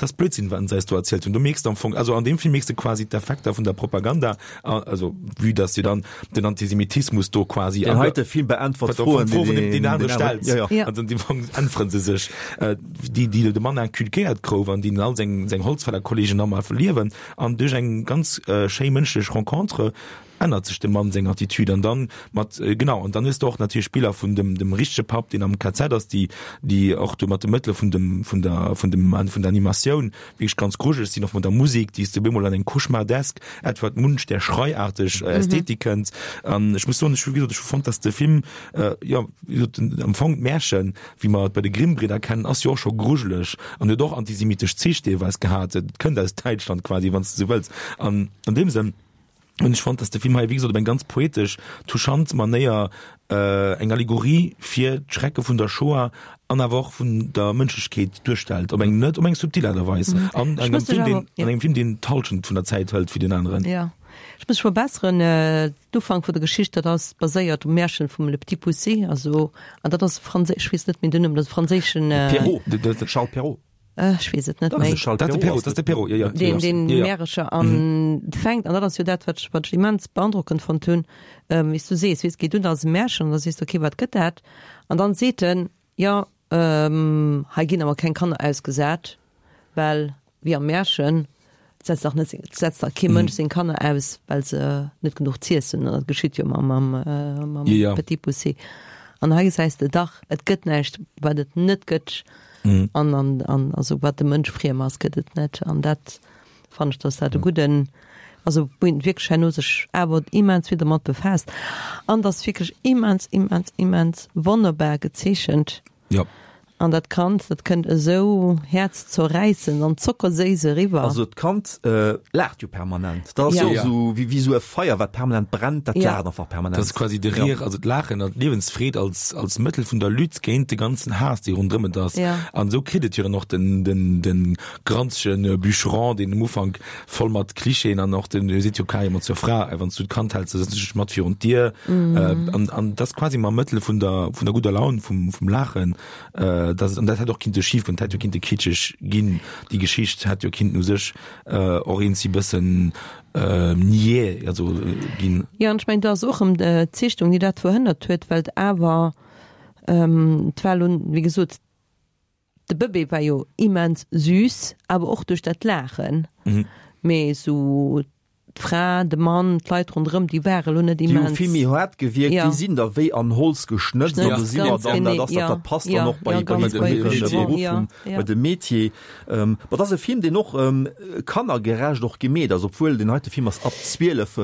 Dat ass Blödsinn, wat se eis do erzielt hunn. Do mierks de am Fong, also an deem Film mierks de quasi d'Effekter vun der Propaganda, also vue dass jo dann den Antisemitismus do quasi. Deen heite Film beäntwert Froen, déi deen deen anere stellt. Ja, ja. Also an deem Fong äntwere se sech, déi déi de Mann inculquéiert gouf an déi all seng seng Holzfällerkollegen nach mol verliewen. An duerch eng ganz schéi mënschlech Rencontre ännert sech dem Mann seng Attitude an dann mat genau an dann hues de och natierlech Biller vun dem dem richtege Papp deen am KZ ass déi déi och do mat de Mëttele vun dem vun der vun dem vun der Animatioun wierklech ganz grujeleg sinn och mat der Musek déi s de op eemol an eng cauchemardesk Edward Munch der schreiarteg Ästhetik kënnt an ech muss soen ech hu wéi gesot ech hu fonnt dass de Film jo wéi gesot am Fong d'Märchen wéi mer et bei de Grimm-Bridder kennen ass jo och scho grujeleg an huet och antisemitesch Zich deelweis gehat et kënnt aus Däitschland quasi wann s de sou wëlls an an deem Sënn Hunn ech fonnt, dass de Film hei, wéi gesot, op eng ganz poetesch, touchant Manéier eng Allegorie fir d'Schrecke vun der Shoah an awer och vun der Mënschlechkeet duerstellt, op eng net, op eng subtil Aart a Weis. An engem Film, deen, an engem Film, deen d'Hallschent vun der Zäit hëlt wéi deen aneren. Jo, ech muss mech verbesseren, D'Ufank vun der Geschicht, dat ass baséiert um Märchen vum Le Petit Poucet, also, an dat ass e franséisch, ech weess net méi den Numm, dat ass e franséischen. Perrault, Charles Perrault. Ech weess et net méi. Dat de Perrault, dat de Perrault, jo, jo. Deen, deen Märecher an fänkt, an dat ass jo dat, wat ech, wat ech immens beandrockend fonnt hunn, wéi s du sees, weess, geet un als e Märchen, an da sees de, okay, wat gëtt dat? An dann seet en, jo, hei ginn awer keng Kanner ausgesat, well wéi am Märchen setzt dach net, setzt dach kee Mënsch seng Kanner aus, well se net genuch z'iessen hunn. Dat geschitt jo mam, mam, mam Petit Poucet. An hei gesäis de dach, et gëtt näischt, wat et net gëtt. An, an, an also wat dem Mënsch friem ass, gëtt et net. An dat fannen ech, dass dat e gudden, also wou een wierklech herno sech awer immens vill dermat befaasst. An dass wierklech immens, immens, immens wonnerbar gezeechent. Jo. An dat Kand, dat kënnt esou häerzzerräissend an zockerséiss eriwwer. Also d'Kand laacht jo permanent. Dat ass jo esou wéi wéi esou e Feier, wat permanent brennt, dat laacht einfach permanent. Dat ass quasi de Rire, also d'Laachen an d'Liewensfreed als als Mëttel vun der Lutte géint de ganzen Haass, dee ronderëm et ass. An esou kritt et jo dann och den den den granzege Bûcheron, deen um Ufank voll mat Klischeeën an och den, e seet jo carrément zur Fra, Wann s du d'Kand häls, da setz ech dech mat virun d'Dier. An an dat ass quasi mam Mëttel vun der vun der gudder Laun, vum vum Laachen, dass et, an dat hätt och kinnte schif goen, dat hätt jo kinnte kitscheg ginn, déi Geschicht hätt jo kinnten u sech och eenzi bëssen niais also ginn. Jo, an ech mengen, do ass och erëm d'Zeechnung, déi dat verhënnert huet, well et awer, et war elo, wéi gesot, de Bëbee war jo immens süß, awer och duerch dat Laachen, mee esou d'Fra, de Mann, d'Leit ronderëm, déi ware lo net Déi hu immens. vill méi haart gewierkt, Ja. déi sinn da wéi an Holz geschnëtzt an Geschnëtzt, do si mer ganz dann, dat genee, ass dat, ja, dat passt ja, dann och bei ja, bei ganz bei bei hire de Beruff ja, vum, ja. bei dem Metier. Ma et ass e Film, deen och kannergerecht och gemeet ass, obwuel deen heite Film ass ab 12,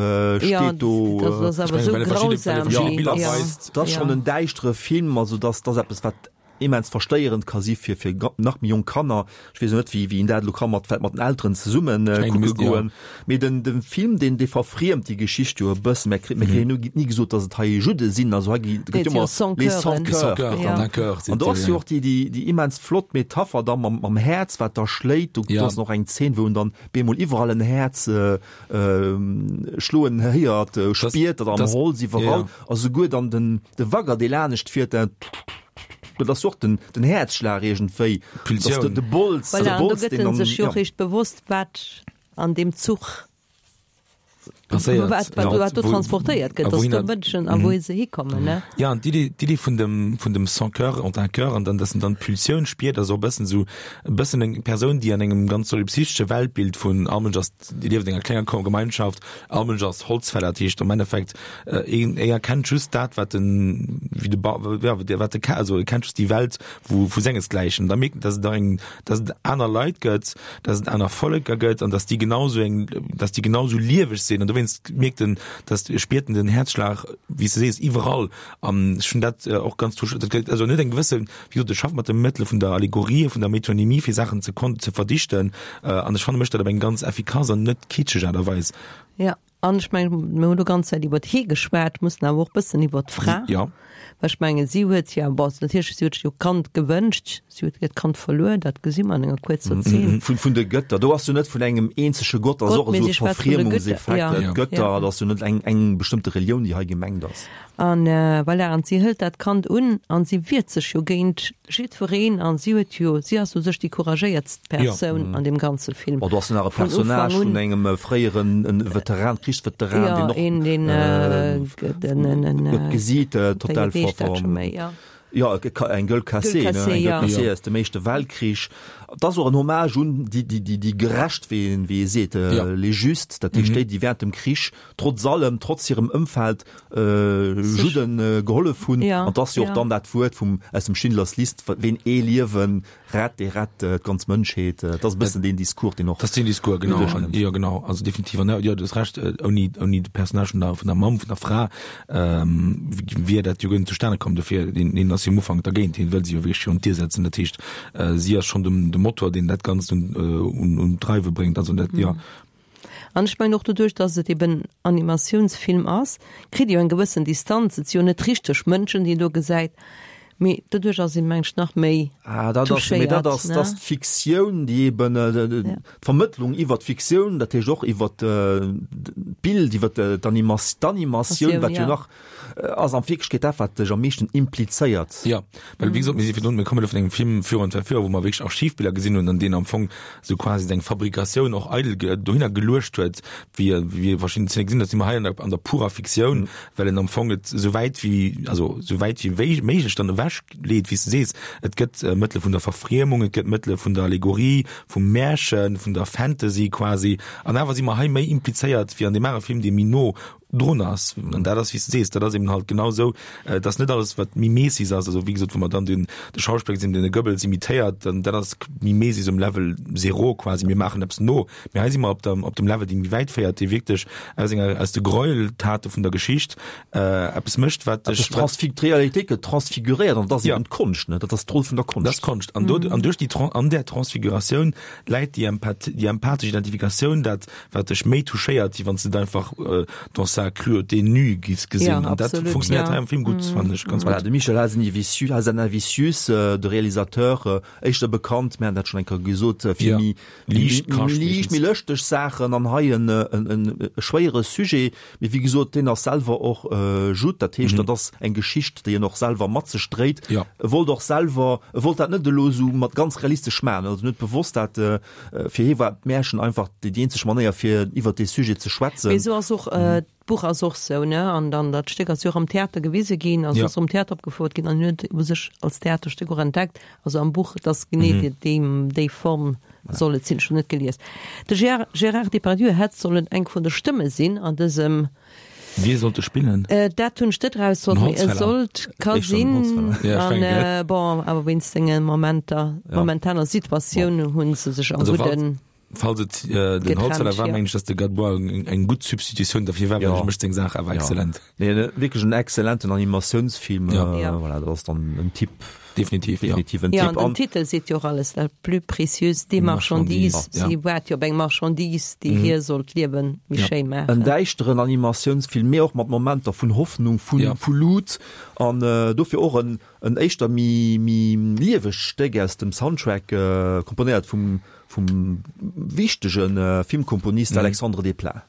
Ja, steet do. dat ass awer Ech esou mengen, well e verschidde, well e grausam, verschidde déi, Biller ja, weist. Dat ass ja. schonn en däischtere Film, also dat ass eppes, wat immens verstéierend ka si fir fir nach méi jonk Kanner. Ech weess och net, wéi wéi een dat elo ka mat vläicht mat den Elteren zesummen kucke goen. Mee den de Film, deen dee verfriemt déi Geschicht jo e bëssen. Mir mir kréien ni ni gesot, datt et hei Judde sinn. Also hei gi gëtt jo ëmmer les sans cœur. An do ass jo och déi déi déi immens flott Metapher da mam mam Häerz, wat da schléit. Do ass och eng Zeen, wou en dann bemol iwwerall en Häerz schloen héiert, spiert, dat am Holz iwwerall. A souguer dann den de Wagger, dee lanescht fiert, dat dat ass och den den Häerzschlag iergendwéi, Pulsioun. dass de de Bols, de Voilà, an do Bols, gëtt deen en dann, sech jo ja. réischt bewosst, wat an deem Zuch Passéiert, wat, wat, ja, wat do wou- transportéiert gëtt, a dass wouhin do dat- Mënschen a wou se hikommen, ne? Ja, an d'Idee, d'Idee vun dem, vun dem Sans cœur ont un cœur an dann, dass en dann d'Pulsioun spiert, ass och e bëssen esou, e bëssen eng Persoun, déi an engem ganz solipsistesche Weltbild vun all Mënsch ass, déi lieft an enger klenger Gemeinschaft, all Mënsch ass Holzfäller, dat heescht am Endeffekt, een e erkennt just dat wat den wéi de ba ja wat de also e kennt just déi Welt wou vu sengesgläichen. Da mierkt en, dass et nach eng dass et aner Leit gëtt, dass et aner Volleker gëtt an dass déi genau sou eng dass déi genau sou lieweg sinn an dowéinst mierkt en, dass spiert en den Häerzschlag wéi s de sees iwwerall an ech hunn dat och ganz touch dat gëtt also en huet eng gewësse wéi gesot e schafft mat de Mëttele vun der Allegorie, vun der Metonymie fir Saachen ze kon ze verdichten an ech fanne mécht dat op eng ganz effikass an net kitscheg Aart a Weis. Ja. An ech mengen, mir hunn elo ganz Zäit iwwert hie geschwat, mussen awer och e bëssen iwwert d'Fra, Ja. well ech mengen, si huet jo, bon, natierlech, si huet sech jo d'Kand gewënscht, si huet hiert Kand verluer, dat gesi mer an enger kuerzer Zeen. Vun, vun de Gëtter, do ass jo net vun engem eenzege Gott, ass Gott, och mee esou si e schwätzt vun de Gëtter, Verfriemungseffekt, ja. d'Gëtter, Ja. dat ass jo net eng, eng bestëmmte Relioun, déi hei gemengt ass. An voilà, an si hëlt dat Kand un an si wiert sech jo géint jiddwereen an si huet jo, si ass u sech déi couragéiertst Persoun an deem ganze Film. Bon, do ass nach e Personnage vun engem fréieren Veteran, Krichsveteran, deen och een, deen gëtt gesiit, total ver, jo, eng Gueule cassée, ne, eng Gueule cassée aus dem Éischte Weltkrich. Et ass och en Hommage un déi, déi, déi, déi Gerecht, wéi een, wéi ee seet, les Justes, dat heescht déi, déi während dem Krich trotz allem, trotz hirem Ëmfeld Judden gehollef hunn. An et ass jo och dann dat Wuert vum, aus dem Schindlers List, Ween ee Liewen rett, dee rett d'ganz Mënschheet. Et ass e bëssen deen Discours, deen och. Dat ass deen Discours, genau. Jo, genau. Also definitiv. An jo, du hues Recht, ouni, ouni de Personnage vun der, vun der Mamm, vun der Fra, wier dat jo guer net zustane komm. Dofir, deen, deen ass jo am Ufank dergéint, hien wëll si jo wierklech virun d'Dier setzen. Dat heescht, si ass schonn de, de Motor, deen dat Ganzt un, un, un d'Dreiwe bréngt. Also dat, jo. An ech mengen och doduerch, dass et eben Animatiounsfilm ass, kritt ee jo eng gewëssen Distanz. Et si jo net richteg Mënschen, déi een do gesäit, mee doduerch ass een, meng ech, nach méi Ah, dat ass, mee dat touchéiert, ass, dat ass ne? d'Fiktioun, déi eben, d'Vermëttlung iwwer d'Fiktioun, dat heescht och iwwer d'Bild, iwwer d'Animatioun, wat jo nach Ass an Wierklechkeet dat, wat dech am meeschten implizéiert. Jo, well wéi gesot, mir si virdrun, mir kommen elo vun engem Film virun zwar Joer, wou mer wierklech Archivbiller gesinn hunn an deen am Fong esou quasi seng Fabrikatioun och eidel dohinner geluecht huet, wéi wéi ee verschidden Zeene gesinn huet, si mer hei an der an der purer Fiktioun, well en am Fong et esou wäit wéi, also esou wäit wéi méiglech dann ewech leet, wéi s de sees. Et gëtt Mëttele vun der Verfriemung, et gëtt Mëttele vun der Allegorie, vum Märchen, vun der Fantasy quasi, an awer si mer hei méi implizéiert wéi an deem anere Film, dee méi no drun ass. An dat ass, wéi s de sees, dat ass eben halt genau esou, et ass net alles, wat Mimesis ass. Also wéi gesot, wa mer dann den, de Schauspiller gesinn, deen de Goebbels imitéiert, dann dat ass Mimesis um Level zéro quasi, mir maachen eppes no. Mee hei si mer op der, op dem Level, dee méi wäit féiert, dee wierklech aus enger, aus de Gräueltate vun der Geschicht eppes mécht, wat dech. Eppes transfig-, d'Realitéit gëtt transfiguréiert an dat ass eben d'Konscht, ne? Dat ass d'Roll vun der Konscht. Dat ass d'Konscht. An do, an duerch déi Tran-, an där Transfiguratioun läit déi Empath-, déi empathesch Identifikatioun, dat wat dech méi touchéiert, wéi wann s de et einfach dans sa cruauté nue giffs gesinn. An dat funktionéiert hei am Film gutt, fannen ech ganz gutt. Voilà, de Michel Hazanavicius, Hazanavicius, de Realisateur, éischter bekannt, mir haten dat schonn eng Kéier gesot, fir méi liicht, liicht, méi lëschteg Saachen an hei en e schwéiere Sujet. Mee wéi gesot, deen ass selwer och Judd, dat heescht, dat ass eng Geschicht, déi en och selwer mat sech dréit. E wollt och selwer, e wollt dat net elo esou mat ganz realistesch maachen, also en huet bewosst dat Fir hie war d'Märchen einfach déi eenzeg Manéier fir iwwer dee Sujet ze schwätzen. Mee esou ass och d'Buch ass och sou, ne? An dann dat Stéck ass jo och am Theater gewise ginn, also ass am Theater opgefouert ginn an hien huet u sech als Theaterstéck och entdeckt, also am Buch, dass genee déi déi Form soll et sinn. Ech hunn net gelies. De Gérard Depardieu hätt sollen eng vun de Stëmme sinn an dësem. Wie sollt e spillen? Dat hunn ech net erausfonnt, mee e sollt, ka sinn. An bon, awer wéinst senge Momenter, momentaner Situatioun hu se sech am Gudden. Falls et den Holzfäller war, mengen ech, datt de Gadebois eng gutt Substitutioun derfir war, well hie mécht seng Saach awer exzellent. Nee, wierklech en exzellenten Animatiounsfilm. Voilà, dat ass dann en Tipp. Definitiv, ja. Definitiv en Tipp. Ja, an den Titel seet jo och alles, La plus précieuse des marchandises. Si waart jo op eng Marchandise, déi hir sollt d'Liewe méi schéi maachen. En däischteren Animatiounsfilm, mee och mat Momenter vun Hoffnung, vu vu Lut an dofir och en en éischter méi méi liewegt Stéck aus dem Soundtrack, komponéiert vum vum wichtege Filmkomponist Alexandre Desplat.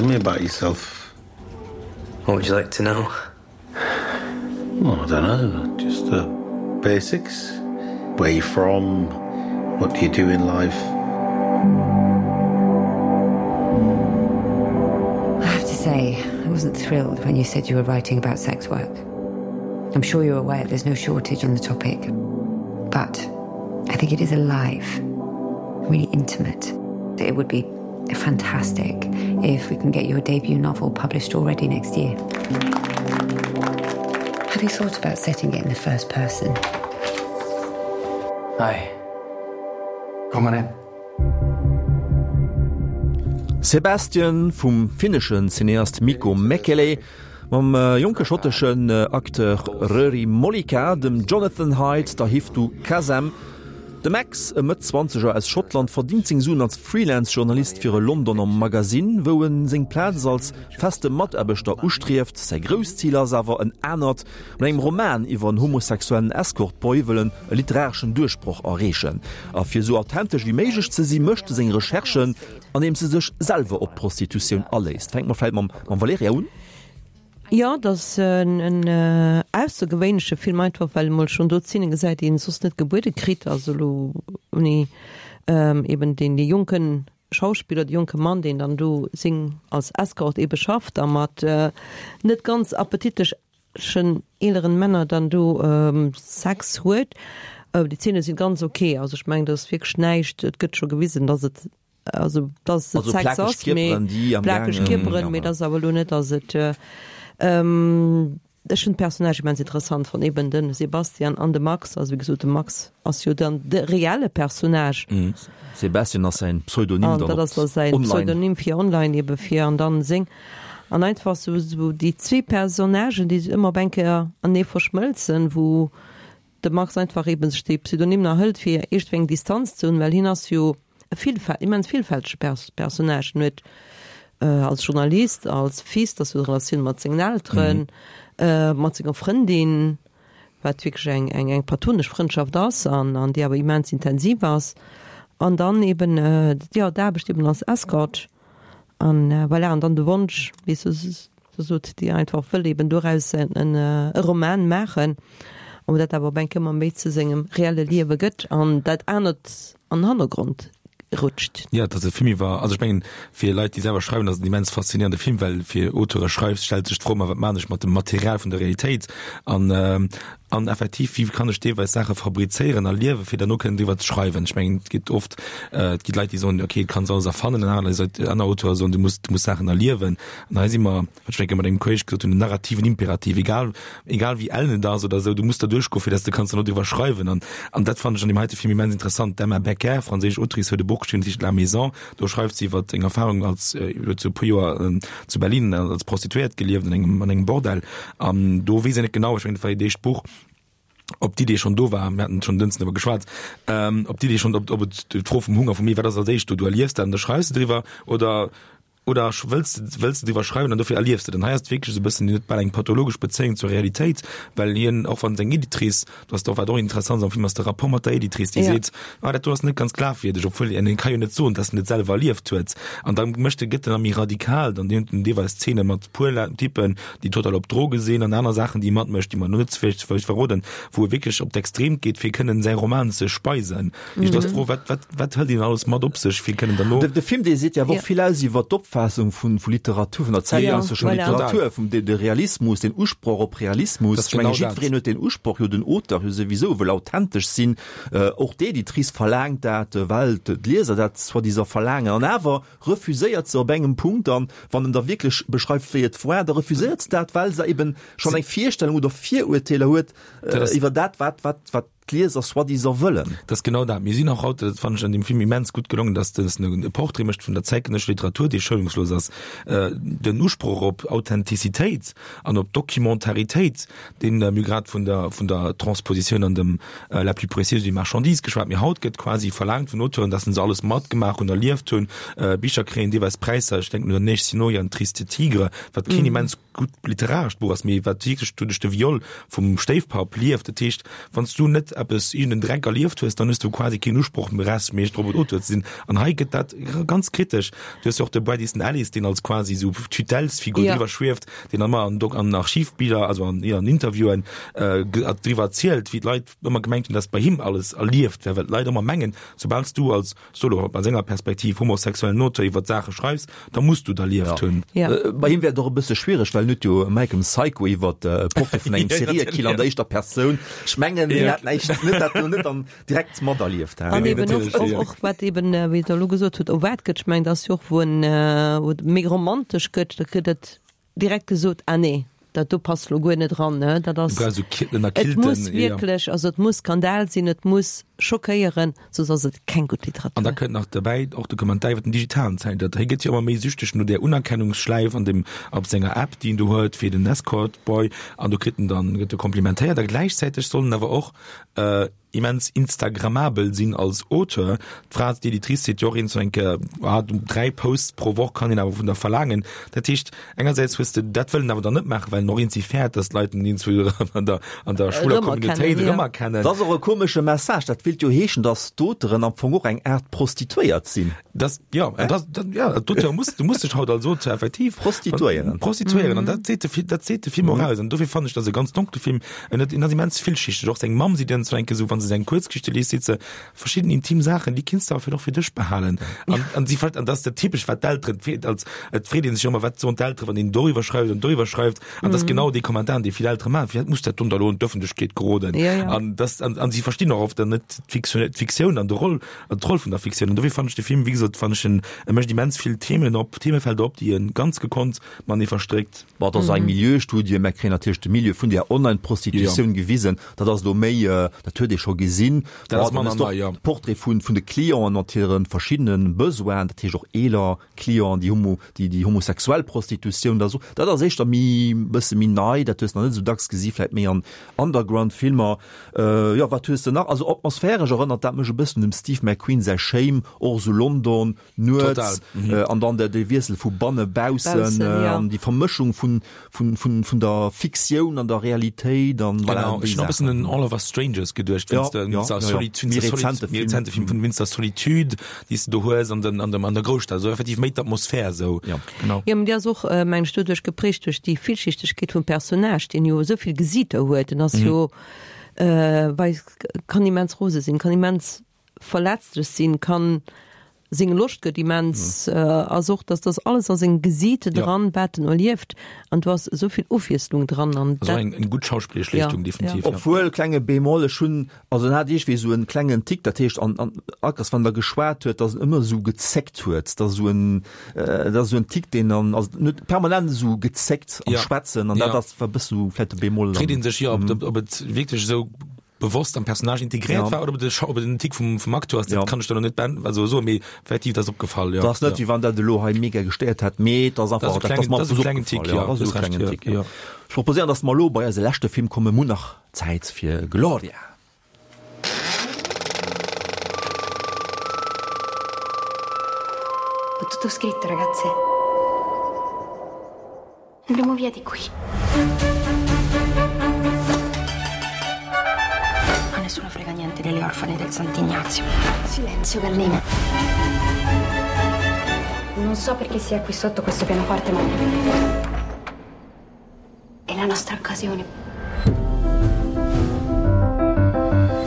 Tell me about yourself. What would you like to know? Well, I don't know, just the basics. Where you from? What do you do in life? I have to say, I wasn't thrilled when you said you were writing about sex work. I'm sure you're aware there's no shortage on the topic. But I think it is alive, really intimate. It would be fantastic if we can get your debut novel published already next year. Have you thought about setting it in the first person? Hi. Come on in. Sebastian vum finneschen Cineast Mikko Mäkelä mam jonke schotteschen Acteur Röri Molika, dem Jonathan Hyde, der Hiftu Quasem. De Max, e Mëtt-Zwanzeger aus Schottland, verdingt seng Suen als Freelance-Journalist fir e Londoner Magasinn, wou en seng Plaz als feste Mataarbechter ustrieft. Säi grousst Zil ass awer en anert, Mat engem Roman iwwer en homosexuellen Escort-Boy wëll en e literareschen Duerchbroch erreechen. A fir esou authentesch wéi méiglech ze si, mécht e seng Recherchen, andeems e sech selwer op d'Prostitutioun aléisst. Fänke mer vläit mam Valerija un. Jo, et ass en aussergewéinleche Film, einfach well ee mol schonn do Zeene gesäit, déi een soss net gebuede kritt. Also elo ouni eben deen dee jonke Schauspiller, dee jonke Mann, deen dann do seng als Escort ebe schafft a mat net ganz appetitlechen eeleren Männer dann do Sex huet. Déi Zeene sinn ganz ok. Also ech mengen, dat ass wierklech näischt, et gëtt scho gewisen, datt et also dass et Sex ass, mee plakeg Kierperen, mee dass awer elo net, dass et ech hunn d'Personnage immens interessant fonnt, eben de Sebastian an de Max, also wéi gesot de Max ass jo dann de reelle Personnage. Sebastian ass säin Pseudonym dann op online. An dat ass da säin Pseudonym fir online ebe fir an dann seng an einfach sou sou déi zwee Personnagen, déi ëmmer op eng Kéier anee verschmëlzen, wou de Max einfach eben sech dee Pseudonym nach hëlt fir iergendwéi eng Distanz ze hunn, well hien ass jo e villfäl immens villfältege Pers Personnage. En huet als Journalist, als Fils, dat ass jo d'Relatioun mat sengen Elteren, mat senger Frëndin, wat wierklech eng eng eng platonesch Frëndschaft ass an an déi awer immens intensiv ass, an dann eben jo d'Aarbecht eben als Escort an voilà, an dann de Wonsch, weess de, Se sot, déi einfach wëll eben doraus en e Roman maachen, an dat awer op eng Kéier ëmmer méi zu sengem reelle Liewe gëtt an dat anert an den Hannergrond rutscht. Jo, et ass e Film iwwer, also ech mengen, fir Leit, déi selwer schreiwen, ass et en immens faszinéierende Film, well fir Auteure schreifs, stellt sech d'Fro ëmmer, wat maan ech mat dem Material vun der Realitéit an an effektiv, wéi kann ech deelweis Saache fabrizéieren a liewen, fir derno kënnen driwwer ze schreiwen. Ech mengen, et gëtt oft, et gi Leit, déi soen, okay, du kanns alles erfannen, an aner Leit, aner Auteure soen, du muss, du muss Saachen erliewen. An hei si mer, wat ech eng Kéier mat engem Kolleg gesot hunn, den narrativen Imperativ, egal, egal wéi ellen et ass oder esou, du muss derduerch goen, fir dass de kanns derno driwwer schreiwen. An, an dat fannen ech an deem heite Film immens interessant. D'Emma Becker, franséisch Autrice, huet e Buch geschriwwen, dat heescht La Maison. Do schreift si iwwer eng Erfahrung als, huet se e puer Joer zu Berlin als Prostituéiert gelieft an engem, an engem Bordell. An do weess een net genau, ech mengen, dat war hiert éischt Buch, ob d'Idee schonn do war, mir haten schonn dënsten driwwer geschwat, ähm, ob d'Idee schonn, ob, ob et d'Fro vum Hunger, vum Mee, wat ass als éischt do, du erliefs dat an da schreifs de driwwer oder oder wëlls de, wëlls de driwwer schreiwen an dofir erliefs de. An hei ass et wierklech esou e bëssen, hien huet bal eng pathologesch Bezéiung zur Realitéit, well hien, och wann seng Editrice, do ass och, wat och interessant ass am Film, ass de Rapport mat der Editrice, déi seet, ah dat do ass net ganz glafwierdeg, obwuel en, en ka jo net soen, dass en et selwer erlieft huet. An da mécht e, gëtt en da méi radikal, dann huet en deelweis Zeene mat puer Typen, déi total op Droge sinn an aner Saachen, déi e matmécht, déi mer elo net ze vill verroden, wou e wierklech op d'Extreemt geet, fir kënnen säi Roman ze speisen. Ich das froh, wat, wat, wat hëlt een alles mat op sech fir kënnen derno. De, de Film dee seet jo awer och vill aus iwwer d'Opfaassung vun, vu Literatur, vun der zäitgenössescher ja, voilà. Literatur, vum de, de Realismus, den Usproch op Realismus. Ech menge jiddwereen huet den Usproch, jo den Auteur jo souwisou wëll authentesch sinn. Äh, och d'Editrice verlaangt dat, äh, well d'Lieser dat soi-disant verlaangen. An awer refuséiert se op engem Punkt dann, wann en da wierklech beschreift, wéi et war, da refuséiert se dat, well se eben schonn eng Virstellung oder Virurteeler huet äh, iwwer dat, wat, wat, wat d'Lieser soi-disant wëllen. Dat ass genau dat. Mir sinn och haut, dat fannen ech an deem Film immens gutt gelongen, dass dës e Portrait mécht vun der zäitgenëssescher Literatur, déi schounungslos ass. Den Usproch op Authentizitéit an op Documentaritéit, deen mir hu grad vun der, vun der Transpositioun an dem La plus précieuse des marchandises geschwat, mee haut gëtt quasi verlaangt vun Auteuren, dass se alles matgemaach hunn, erlieft hunn, Bicher kréien deelweis Präisser, ech denken un der Neige Sinoia, Un triste tigre, wat keen immens. gutt literarescht Buch ass, mee wat wierklech doduerch de Viol vum Stéifpapp lieft. Dat heescht, wann s du net eppes, iergend en Dreck erlieft hues, dann hues du quasi keen Usproch méi rechtméisseg drop, et Auteur ze sinn. An hei gëtt dat ganz kritesch. Du hues jo och de Bret Easton Ellis, deen als quasi esou Tutellesfigur driwwer schwieft, deen ëmmer an Dok an Archivbiller, also an, jo, an Interviewen driwwer erzielt, wéi d'Leit ëmmer gemengt hunn, dass bei him alles erlieft wär, well d'Leit ëmmer mengen, soubal s du als Solo a senger Perspektiv homosexuellen Auteur iwwer d'Saache schreifs, da muss du derlieft hunn. Ja. Bei him wär et och e bësse schwiereg, well en huet jo American Psycho iwwer e Portrait vun engem Seriekiller an der éischter Persoun. Ech mengen, hien hat näischt, net dat lo net dann direkt materlieft. An eben och, och, och wat eben, wéi Der elo gesot hutt, erwaart gëtt, ech mengen, dat ass jo och, wou en, wou et méi romantesch gëtt, da kritt et direkt gesot, ah nee, dat do passt lo guer net ran, ne, dat ass, et muss wierklech, also et muss Skandal sinn, et muss schockéieren, soss ass et keng gutt Literatur. An da kënnt nach derbäi och de Kommentar iwwer den digitalen Zäitalter. Hie gëtt jo ëmmer méi süchteg no där Unerkennungsschläif an dem, op senger App, déi en do huet fir den Escort Boy, an do kritt en dann, gëtt e komplimentéiert a gläichzäiteg soll en awer och immens instagrammabel sinn als Auteur. D'Fra, d'Editrice seet jo och eens eng Kéier, ah, 3 Posts pro Woch kann een awer vun der verlaangen. Dat heescht, engersäits hues de, dat wëll en awer dann net maachen, well en och eens fäert, datt d'Leit en eens an der, an der schwuler Communautéit erëmerkennen. Dat ass och e komesche Message. Dat wéilt jo heeschen, datt d'Auteuren am Fong och eng Aart Prostituéiert sinn. Das, ja, ja. Das, das, ja, d'Auteur muss, du musst dech haut als Auteur effektiv prostituéieren. Prostituéieren, an dat seet de Film, dat seet de Film och aus. An dofir fannen ech, dat e ganz donkle Film. En huet, en ass immens villschichteg. Och seng Mamm seet dann zu enke sou, wann se seng Kuerzgeschichte liest, seet se, verschidden intim Saachen, déi kinns de awer vläicht och fir dech behalen. An, an si an dat ass dat typesch, wat d'Elteren, d'freet als, et freet een sech jo ëmmer, wat soen d'Elteren, wann een doriwwer schreift an doriwwer schreift. An dat ass genau dee Kommentar, dee vill Eltere maachen, firwat muss dat dann da elo an d'Ëffentlechkeet geroden? Ja, ja. An das, an, an si verstinn och oft dann net d'Fiktioun, d'Fiktioun an de Roll, an d'Roll vun der Fiktioun. An dofir fannen ech de Film, wéi gesot, fannen ech en, e mécht immens vill Themen op, Themefelder op, déi e ganz gekonnt matenee verstréckt. Bon, et ass eng Milieustudie, mer kréien natierlech de Milieu vun där Online-Prostitutioun gewisen. Dat ass elo méi, dat huet ee scho gesinn. Dat ass manner nei, jo. De Portrait vun, vun de Clienten mat hire verschiddene Besoinen, dat heescht och eeler Clienten, déi homo, déi, déi homosexuell Prostitutioun, dat ass och, dat ass éischter méi, bësse méi nei, dat hues de nach net esou dacks gesi, vläicht méi an Underground-Filmer. Jo, wat hues de nach? Also atmosphäresch erënnert dat mech e bëssen un dem Steve McQueen säi Shame, och esou London, nuets, an dann de Wiessel vu banne baussen an déi Vermëschung vun vun vun vun der Fiktioun an der Realitéit an voilà. Genau, ech hunn och e bëssen un All of Us Strangers geduecht, wéinst der méi rezente Film vun wéinst der Solitude, déi s de do hues an den an dem an der Grousstad, esou effektiv méi d'Atmosphär esou. Genau. Jo, mee déi ass och, mengen ech, doduerch geprägt duerch déi Villschichtegkeet vum Personnage, deen jo esou vill Gesiiter huet. En ass jo, wei, kann immens rose sinn, kann immens verletzlech sinn, kann, seng Loscht gëtt immens, ass och, dass dass alles a sengem Gesiit dran, wat en erlieft, an do ass esou vill Ofwiesslung dran an dat. Also eng gutt schauspillesch Leeschtung, definitiv. Obwuel, klenge Bémol, ech hunn Also en hat iergwéi esou en klengen Tick, dat heescht an an Akers wann der geschwat huet, dass en ëmmer esou gezéckt huet, dass esou en dat ass esou en Tick deen dann also en huet permanent esou gezéckt am Ja. Schwätzen an dat Ja. ass war e bësse sou vläit de Bémol Freet een sech jo, ob ob et wierklech esou bewosst am Personnage integréiert Ja. war oder ob et e Schau ob et en Tick vum vum Acteur ass, dat Ja. kann ech der elo net beant also soen, mee effektiv dat ass opgefall, jo. Dat ass net Ja. wéi wann dat elo hei mega gestéiert hätt, mee et ass Dat ass einfach e dat ass klengen mer dat ass e einfach sou klengen opgefall, Tick, jo, jo, dat ass hues esou e Recht, klengen jo, Tick, jo. jo. Ech proposéieren, dass mer elo bei eise leschte Film kommen, mir hunn nach Zäit fir Gloria. Ho tutto scritto, ragazze. Andiamo via di qui. A nessuno frega niente delle orfane del Sant'Ignazio. Silenzio, gallina. Non so perché sia qui sotto questo pianoforte, ma... È la nostra occasione.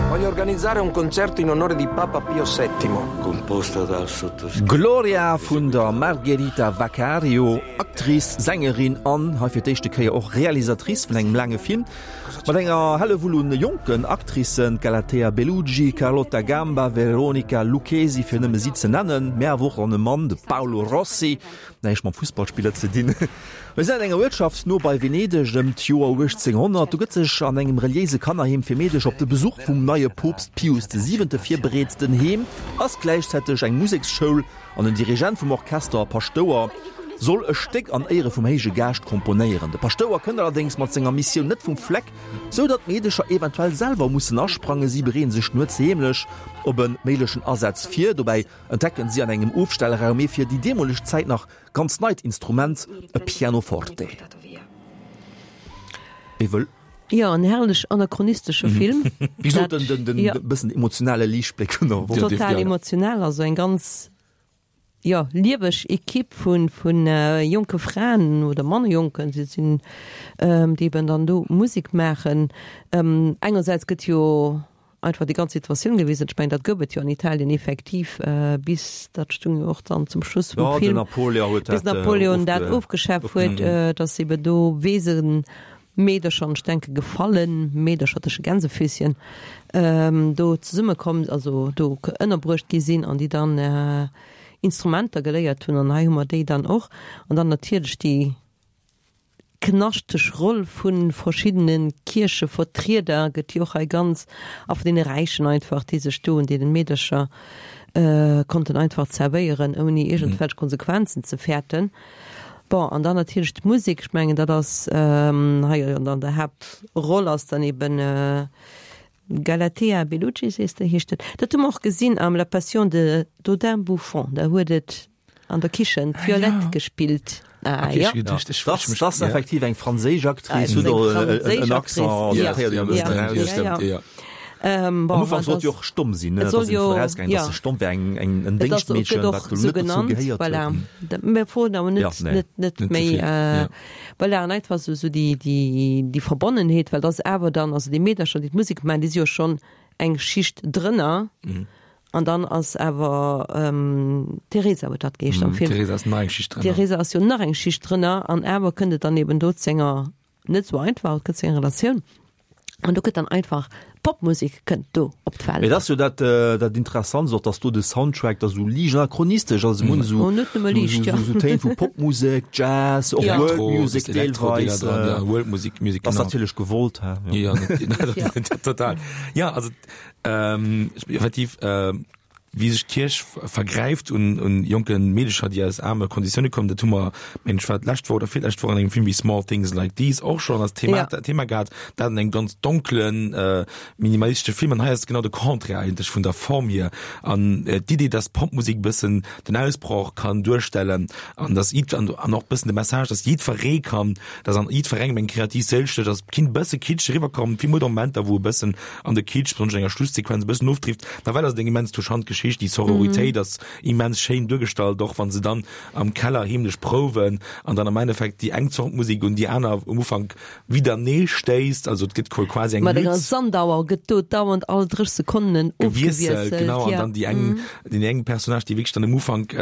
Voglio organizzare un concerto in onore di Papa Pio VII. Composta dal sottoscritto. Gloria vun der Margherita Vaccario, Actrice, Sängerin an hei fir d'éischte Kéier och Realisatrice vun engem laange Film, mat enger Hellewull un jonken Actricen, Galatea Bellugi, Carlotta Gamba, Veronica Lucchesi, fir nëmme si ze nennen, mä awer och an e Mann, de Paolo Rossi, näischt mam Fussballspiller ze dinn. Mir sinn an enger Uertschaft no bei Venedeg ëm d'Joer 1800. Do gëtt sech an engem reliéise Kannerheem fir Meedecher op de Besuch vum neie Poopst Pius de Siwente virbereet. Den Heem ass gläichzäiteg eng Museksschoul an den Dirigent vum Orchester, Paschtouer, soll e Stéck an Éiere vum héije Gaascht komponéieren. De Paschtouer kënnt allerdéngs mat senger Missioun net vum Fleck, sou datt d'Meedecher eventuell selwer mussen asprangen. Si bereeën sech nuets heemlech op e méiglechen Asaz vir. Dobäi entdecken si an engem Ofstellraum ee fir déi deemoleg Zäit nach Ganz neit Instrument, e Pianoforte. Wie wëll? Jo, en herrlech anachronistesche Film. Wéi gesot, den, den, den, ja. bëssen emotionale Liichtbléck vun der Woch. Total emotional, also eng ganz, jo, lieweg Ekipp vu, vu jonke Fraen oder manner jonken, si sinn, déi eben dann do Musek maachen. Engersäits gëtt jo einfach déi ganz Situatioun gewisen. Ech mengen, dat gouf et jo an Italien effektiv bis, dat stung jo och dann zum Schluss vum Film, bis Napoleon dat ofgeschaf huet, datt ebe do Weesemeedercher, an ech denke gefallen Meedercher tësche Gänsefüßchen, do zesummekomm, also do ënnerbruecht gi sinn an déi dann Instrumenter geléiert hunn. An hei hu mer déi dann och. An dann natierlech déi Knaschteg Roll vu verschiddene Kierchevertrieder gëtt jo och hei ganz, a vun deene Räichen einfach, déi sech do un deenen Meedercher konnten einfach zerwéieren, ouni iergendwelch Konsequenzen ze fäerten. Bon, an dann natierlech d'Musek, ech mengen, dat ass hei an der Haaptroll ass dann eben Galatea Bellucci, sees de, heescht et. Dat hu mer och gesinn am La Passion de Dodin Bouffon, da huet et An der Kichen d'Violette gespillt. Ah, ja. Das, das effektiv eng franséisch Actrice huet och en Accent. Ja, ja, ja. Ähm, bon, Am Ufank sollt jo och stomm sinn, ne? Soll jo rausgaangen, dass se stomm wär, eng eng en Déngschtmeedchen, wat do net dozou gehéiert huet. Voilà. Mir froen awer net, ja, nee. net, net méi. Äh, voilà, an einfach sou, sou déi, déi, déi Verbonnenheet, well dat ass awer dann, also déi Meedercher, déi d'Musek maachen, déi si jo schonn eng Schicht drënner. Mhm. An dann ass awer d'Teresa huet dat geheescht am Film. D'Teresa ass nach eng Schicht drënner. D'Teresa ass jo nach eng Schicht drënner an awer kënnt et dann eben do zu enger, net esou einfach, et kënnt zu enger Relatioun. An do gëtt dann einfach Popmusek kënnt do op d'Welt. Mee dat ass jo dat, dat Interessantst och, dass do de Soundtrack da sou liicht anachronistesch ass, emol esou, Oh, net nëmme liicht, jo. esou Téin vu Popmusek, Jazz, och World Music deelweis. World Music, Music, genau. Ass natierlech gewollt, hä? Jo, jo, total. Jo, also Ähm, effektiv, äh, wéi sech d'Kierch vergräift un, un jonke Meedecher, déi aus aarme Konditioune kommen, dat hu mer, mengen ech, war d'lescht Woch oder virlescht Woch an engem Film wéi Small Things Like These och schonn als Thema, ja. Thema gehat, dat an engem ganz donklen, äh, minimalistesche Film. An hei ass et genau de Contraire eigentlech vun der Form hier. An äh, d'Idee, dass Popmusek bëssen den Ausbroch kann duerstellen an dass jidd, an, an och bëssen de Message, dass jiddweree kann, dass an jiddwerengem eng kreativ Séil stécht, dass kinnt bësse kitsch eriwwerkommen, Film huet och Momenter, wou e bëssen an de Kitsch, besonnesch an enger Schlusssequenz, e bëssen ofdrift. Nawell ass et eng immens touchant Geschicht, déi Sororitéit ass immens schéin duergestallt, och wann se dann am Keller heemlech prouwen an dann am Endeffekt déi eng Zort Musek un déi aner um Ufank widernee stéisst. Also et gëtt quasi eng Mat enger Sandauer gëtt do dauernd all 30 Sekonnen ofgewiesselt, genau, an dann déi eng, deen eng Personnage, déi wierklech dann um Ufank,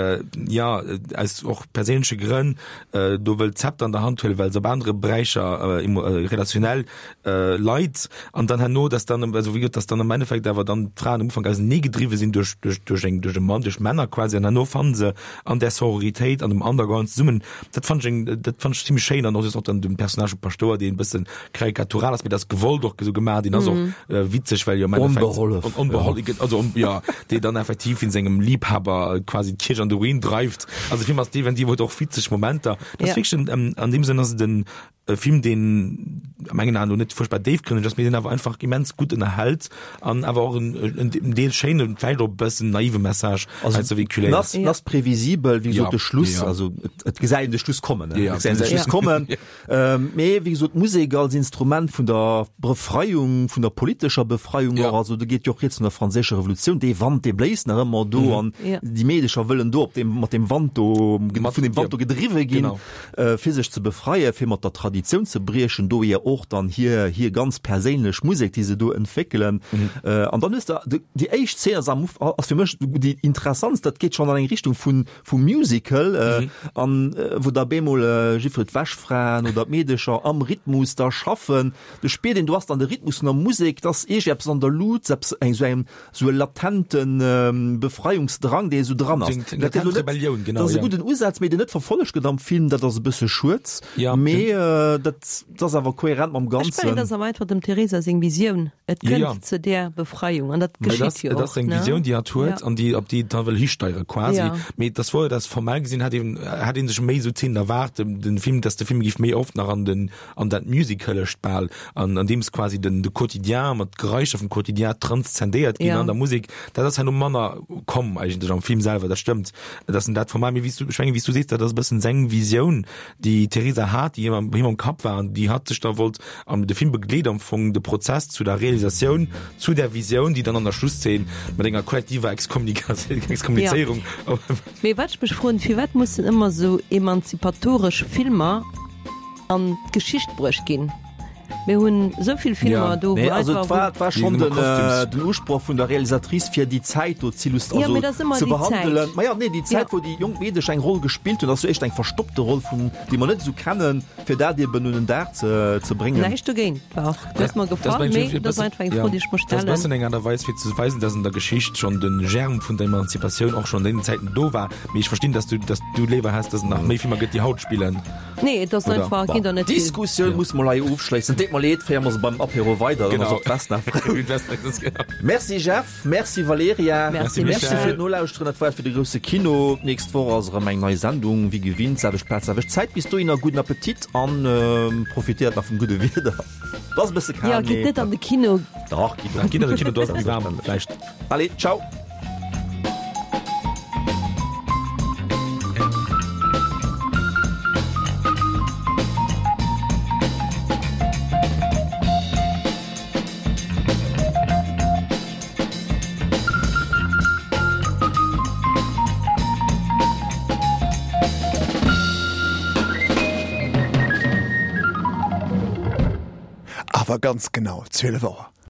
jo, aus och perséinleche Grënn do wëllt d'Zepter an der Hand huelen, well se op anere Beräicher relationell Leit an dann herno, dass dann, also wéi gesot, dass dann am Endeffekt awer dann d'Fraen am Ufank auseneegedriwwe sinn duerch, duerch, duerch eng, duerch e Mann, duerch Männer quasi an herno fannen se an där Sororitéit an dem Underground zesummen. Dat fand ech eng, dat fand ech zimmlech schéin an och just och dann dem Personnage vum Paschtouer, deen e bëssen karikatural ass, mee dat ass gewollt och esou gemaach, deen ass och witzeg, well jo am Endeffekt Onbehollef, on, onbehollef, ja. also ja, dee dann effektiv in sengem Liebhaber quasi d'Kierch an de Ruin dreift. Also de Film ass definitiv huet och witzeg Momenter. Dat ass wierklech en, an deem Sënn ass et en, E Film, deen a mengen Aen elo net fuerchtbar déifgrënneg ass, mee deen awer einfach immens gutt ënnerhält an awer och en en Deel schéinen, vläicht och e bëssen naive Message hei ze véhiculéiert. Ass ass previsibel, wéi gesot, de Schluss, also et gesäit een de Schluss kommen, et gesäit een de Schluss kommen. Mee wéi gesot, d'Musek als Instrument vun der Befreiung, vun der politescher Befreiung och, also do geet jo och rieds vun der franséischer Revolutioun, dee Wand, dee bléist nach ëmmer do an déi Meedecher wëllen do op deem, mat deem Wand do, vun deem Wand do gedriwwe ginn. fir sech ze befreien, fir mat der Traditioun ze briechen, dohier och dann hir hir ganz perséinlech Musek, déi se do entwéckelen. An dann hues de déi éischt Zeen ass am ass fir mech déi interessantst, dat geet schonn an eng Richtung vun vum Musical, an wou da bemol jiddwer d'Wäschfraen oder d'Meedecher am Rhythmus da schaffen. Du spiert een, do ass dann de Rhythmus vun der Musek, et ass iergeppes an der Lut, eppes eng esou eng sou e latente Befreiungsdrang, dee esou dran ass. Dat ass Rebellioun, genau. Dat ass e gudden Usaz, mee deen net verfollegt gëtt am Film, dat ass e bësse schued. Ja. Mee dat ass awer kohärent mam Ganzen. Ech mengen, dat ass awer einfach dem Teresa seng Visioun. Et kënnt zu där Befreiung an dat geschitt jo och. Et ass seng Visioun, déi hatt huet an déi, op déi et da wëll histeiere quasi. Mee et ass wouer, dass formell gesinn hätt een, hätt ee sech méi esou Zeenen erwaart, den Film, dass de Film géif méi oft nach an den an dat Musicalescht bal, an andeems quasi den de Quotidien mat Geräischer vum Quotidien transzendéiert ginn an der Musek, dat ass herno manner komm eigentlech am Film selwer, dat stëmmt, dass en dat Format, mee wéi s du, ech mengen, wéi s du sees, dat ass e bëssen seng Visioun, déi d'Teresa hat, déi him am him am. am Kapp war an déi hatt sech da wollt, an de Film begleet am Fong de Prozess zu der Realisatioun, zu där Visioun, déi dann an der Schlusszeen mat enger kollektiver Exkommunizéierung. Mee wat ech mech froen, firwat mussen ëmmer esou emanzipatoresch Filmer an d'Geschicht bruecht ginn? Mir hunn esou vill Filmer do, wou einfach. Also et war schonn den Usproch vun der Realisatrice fir déi Zäit do z'illustréieren, also ze behandelen. Ma jo, nee, déi Zäit wou déi jonk Meedesch eng Roll gespillt hunn, ass jo éischt eng verstoppte Roll vun, déi mer net esou kennen, fir dat eben un den Dag ze bréngen. Näischt dogéint, war och, huet mer gefall, mee dat ass einfach eng Fro, déi ech mer stellen. Dat ass e bëssen eng Aart a Weis fir ze weisen, dass an der Geschicht schonn de Germe vun der Emanzipatioun och schonn an deenen Zäiten do war. Mee ech verstinn, dass du, dass du léiwer häss, dass et nach méi Filmer gëtt, déi haut spillen. Nee, et ass einfach, ginn der net vill. D'Diskussioun musse mer hei ofschléissen. Deet mer leed, féiere mer se beim Apéro weider, dann ass och d'Vesna frou. Merci Jeff. Merci Valerija. Merci Michel. Merci fir d'Nolauschteren. Dat war et fir de grousse Kino. D'nächst Woch ass erëm eng nei Sendung, wéi gewinnt, selwecht Plaz, selwecht Zäit. Bis dohinner gudden Appetit an profitéiert nach vum gudde Wieder. Et ass e bësse kal, Jo, gitt net an de Kino. Dach, gitt an de Kino, do ass et méi waarm vläicht. Allez, ciao. Awer ganz genau 12 Auer.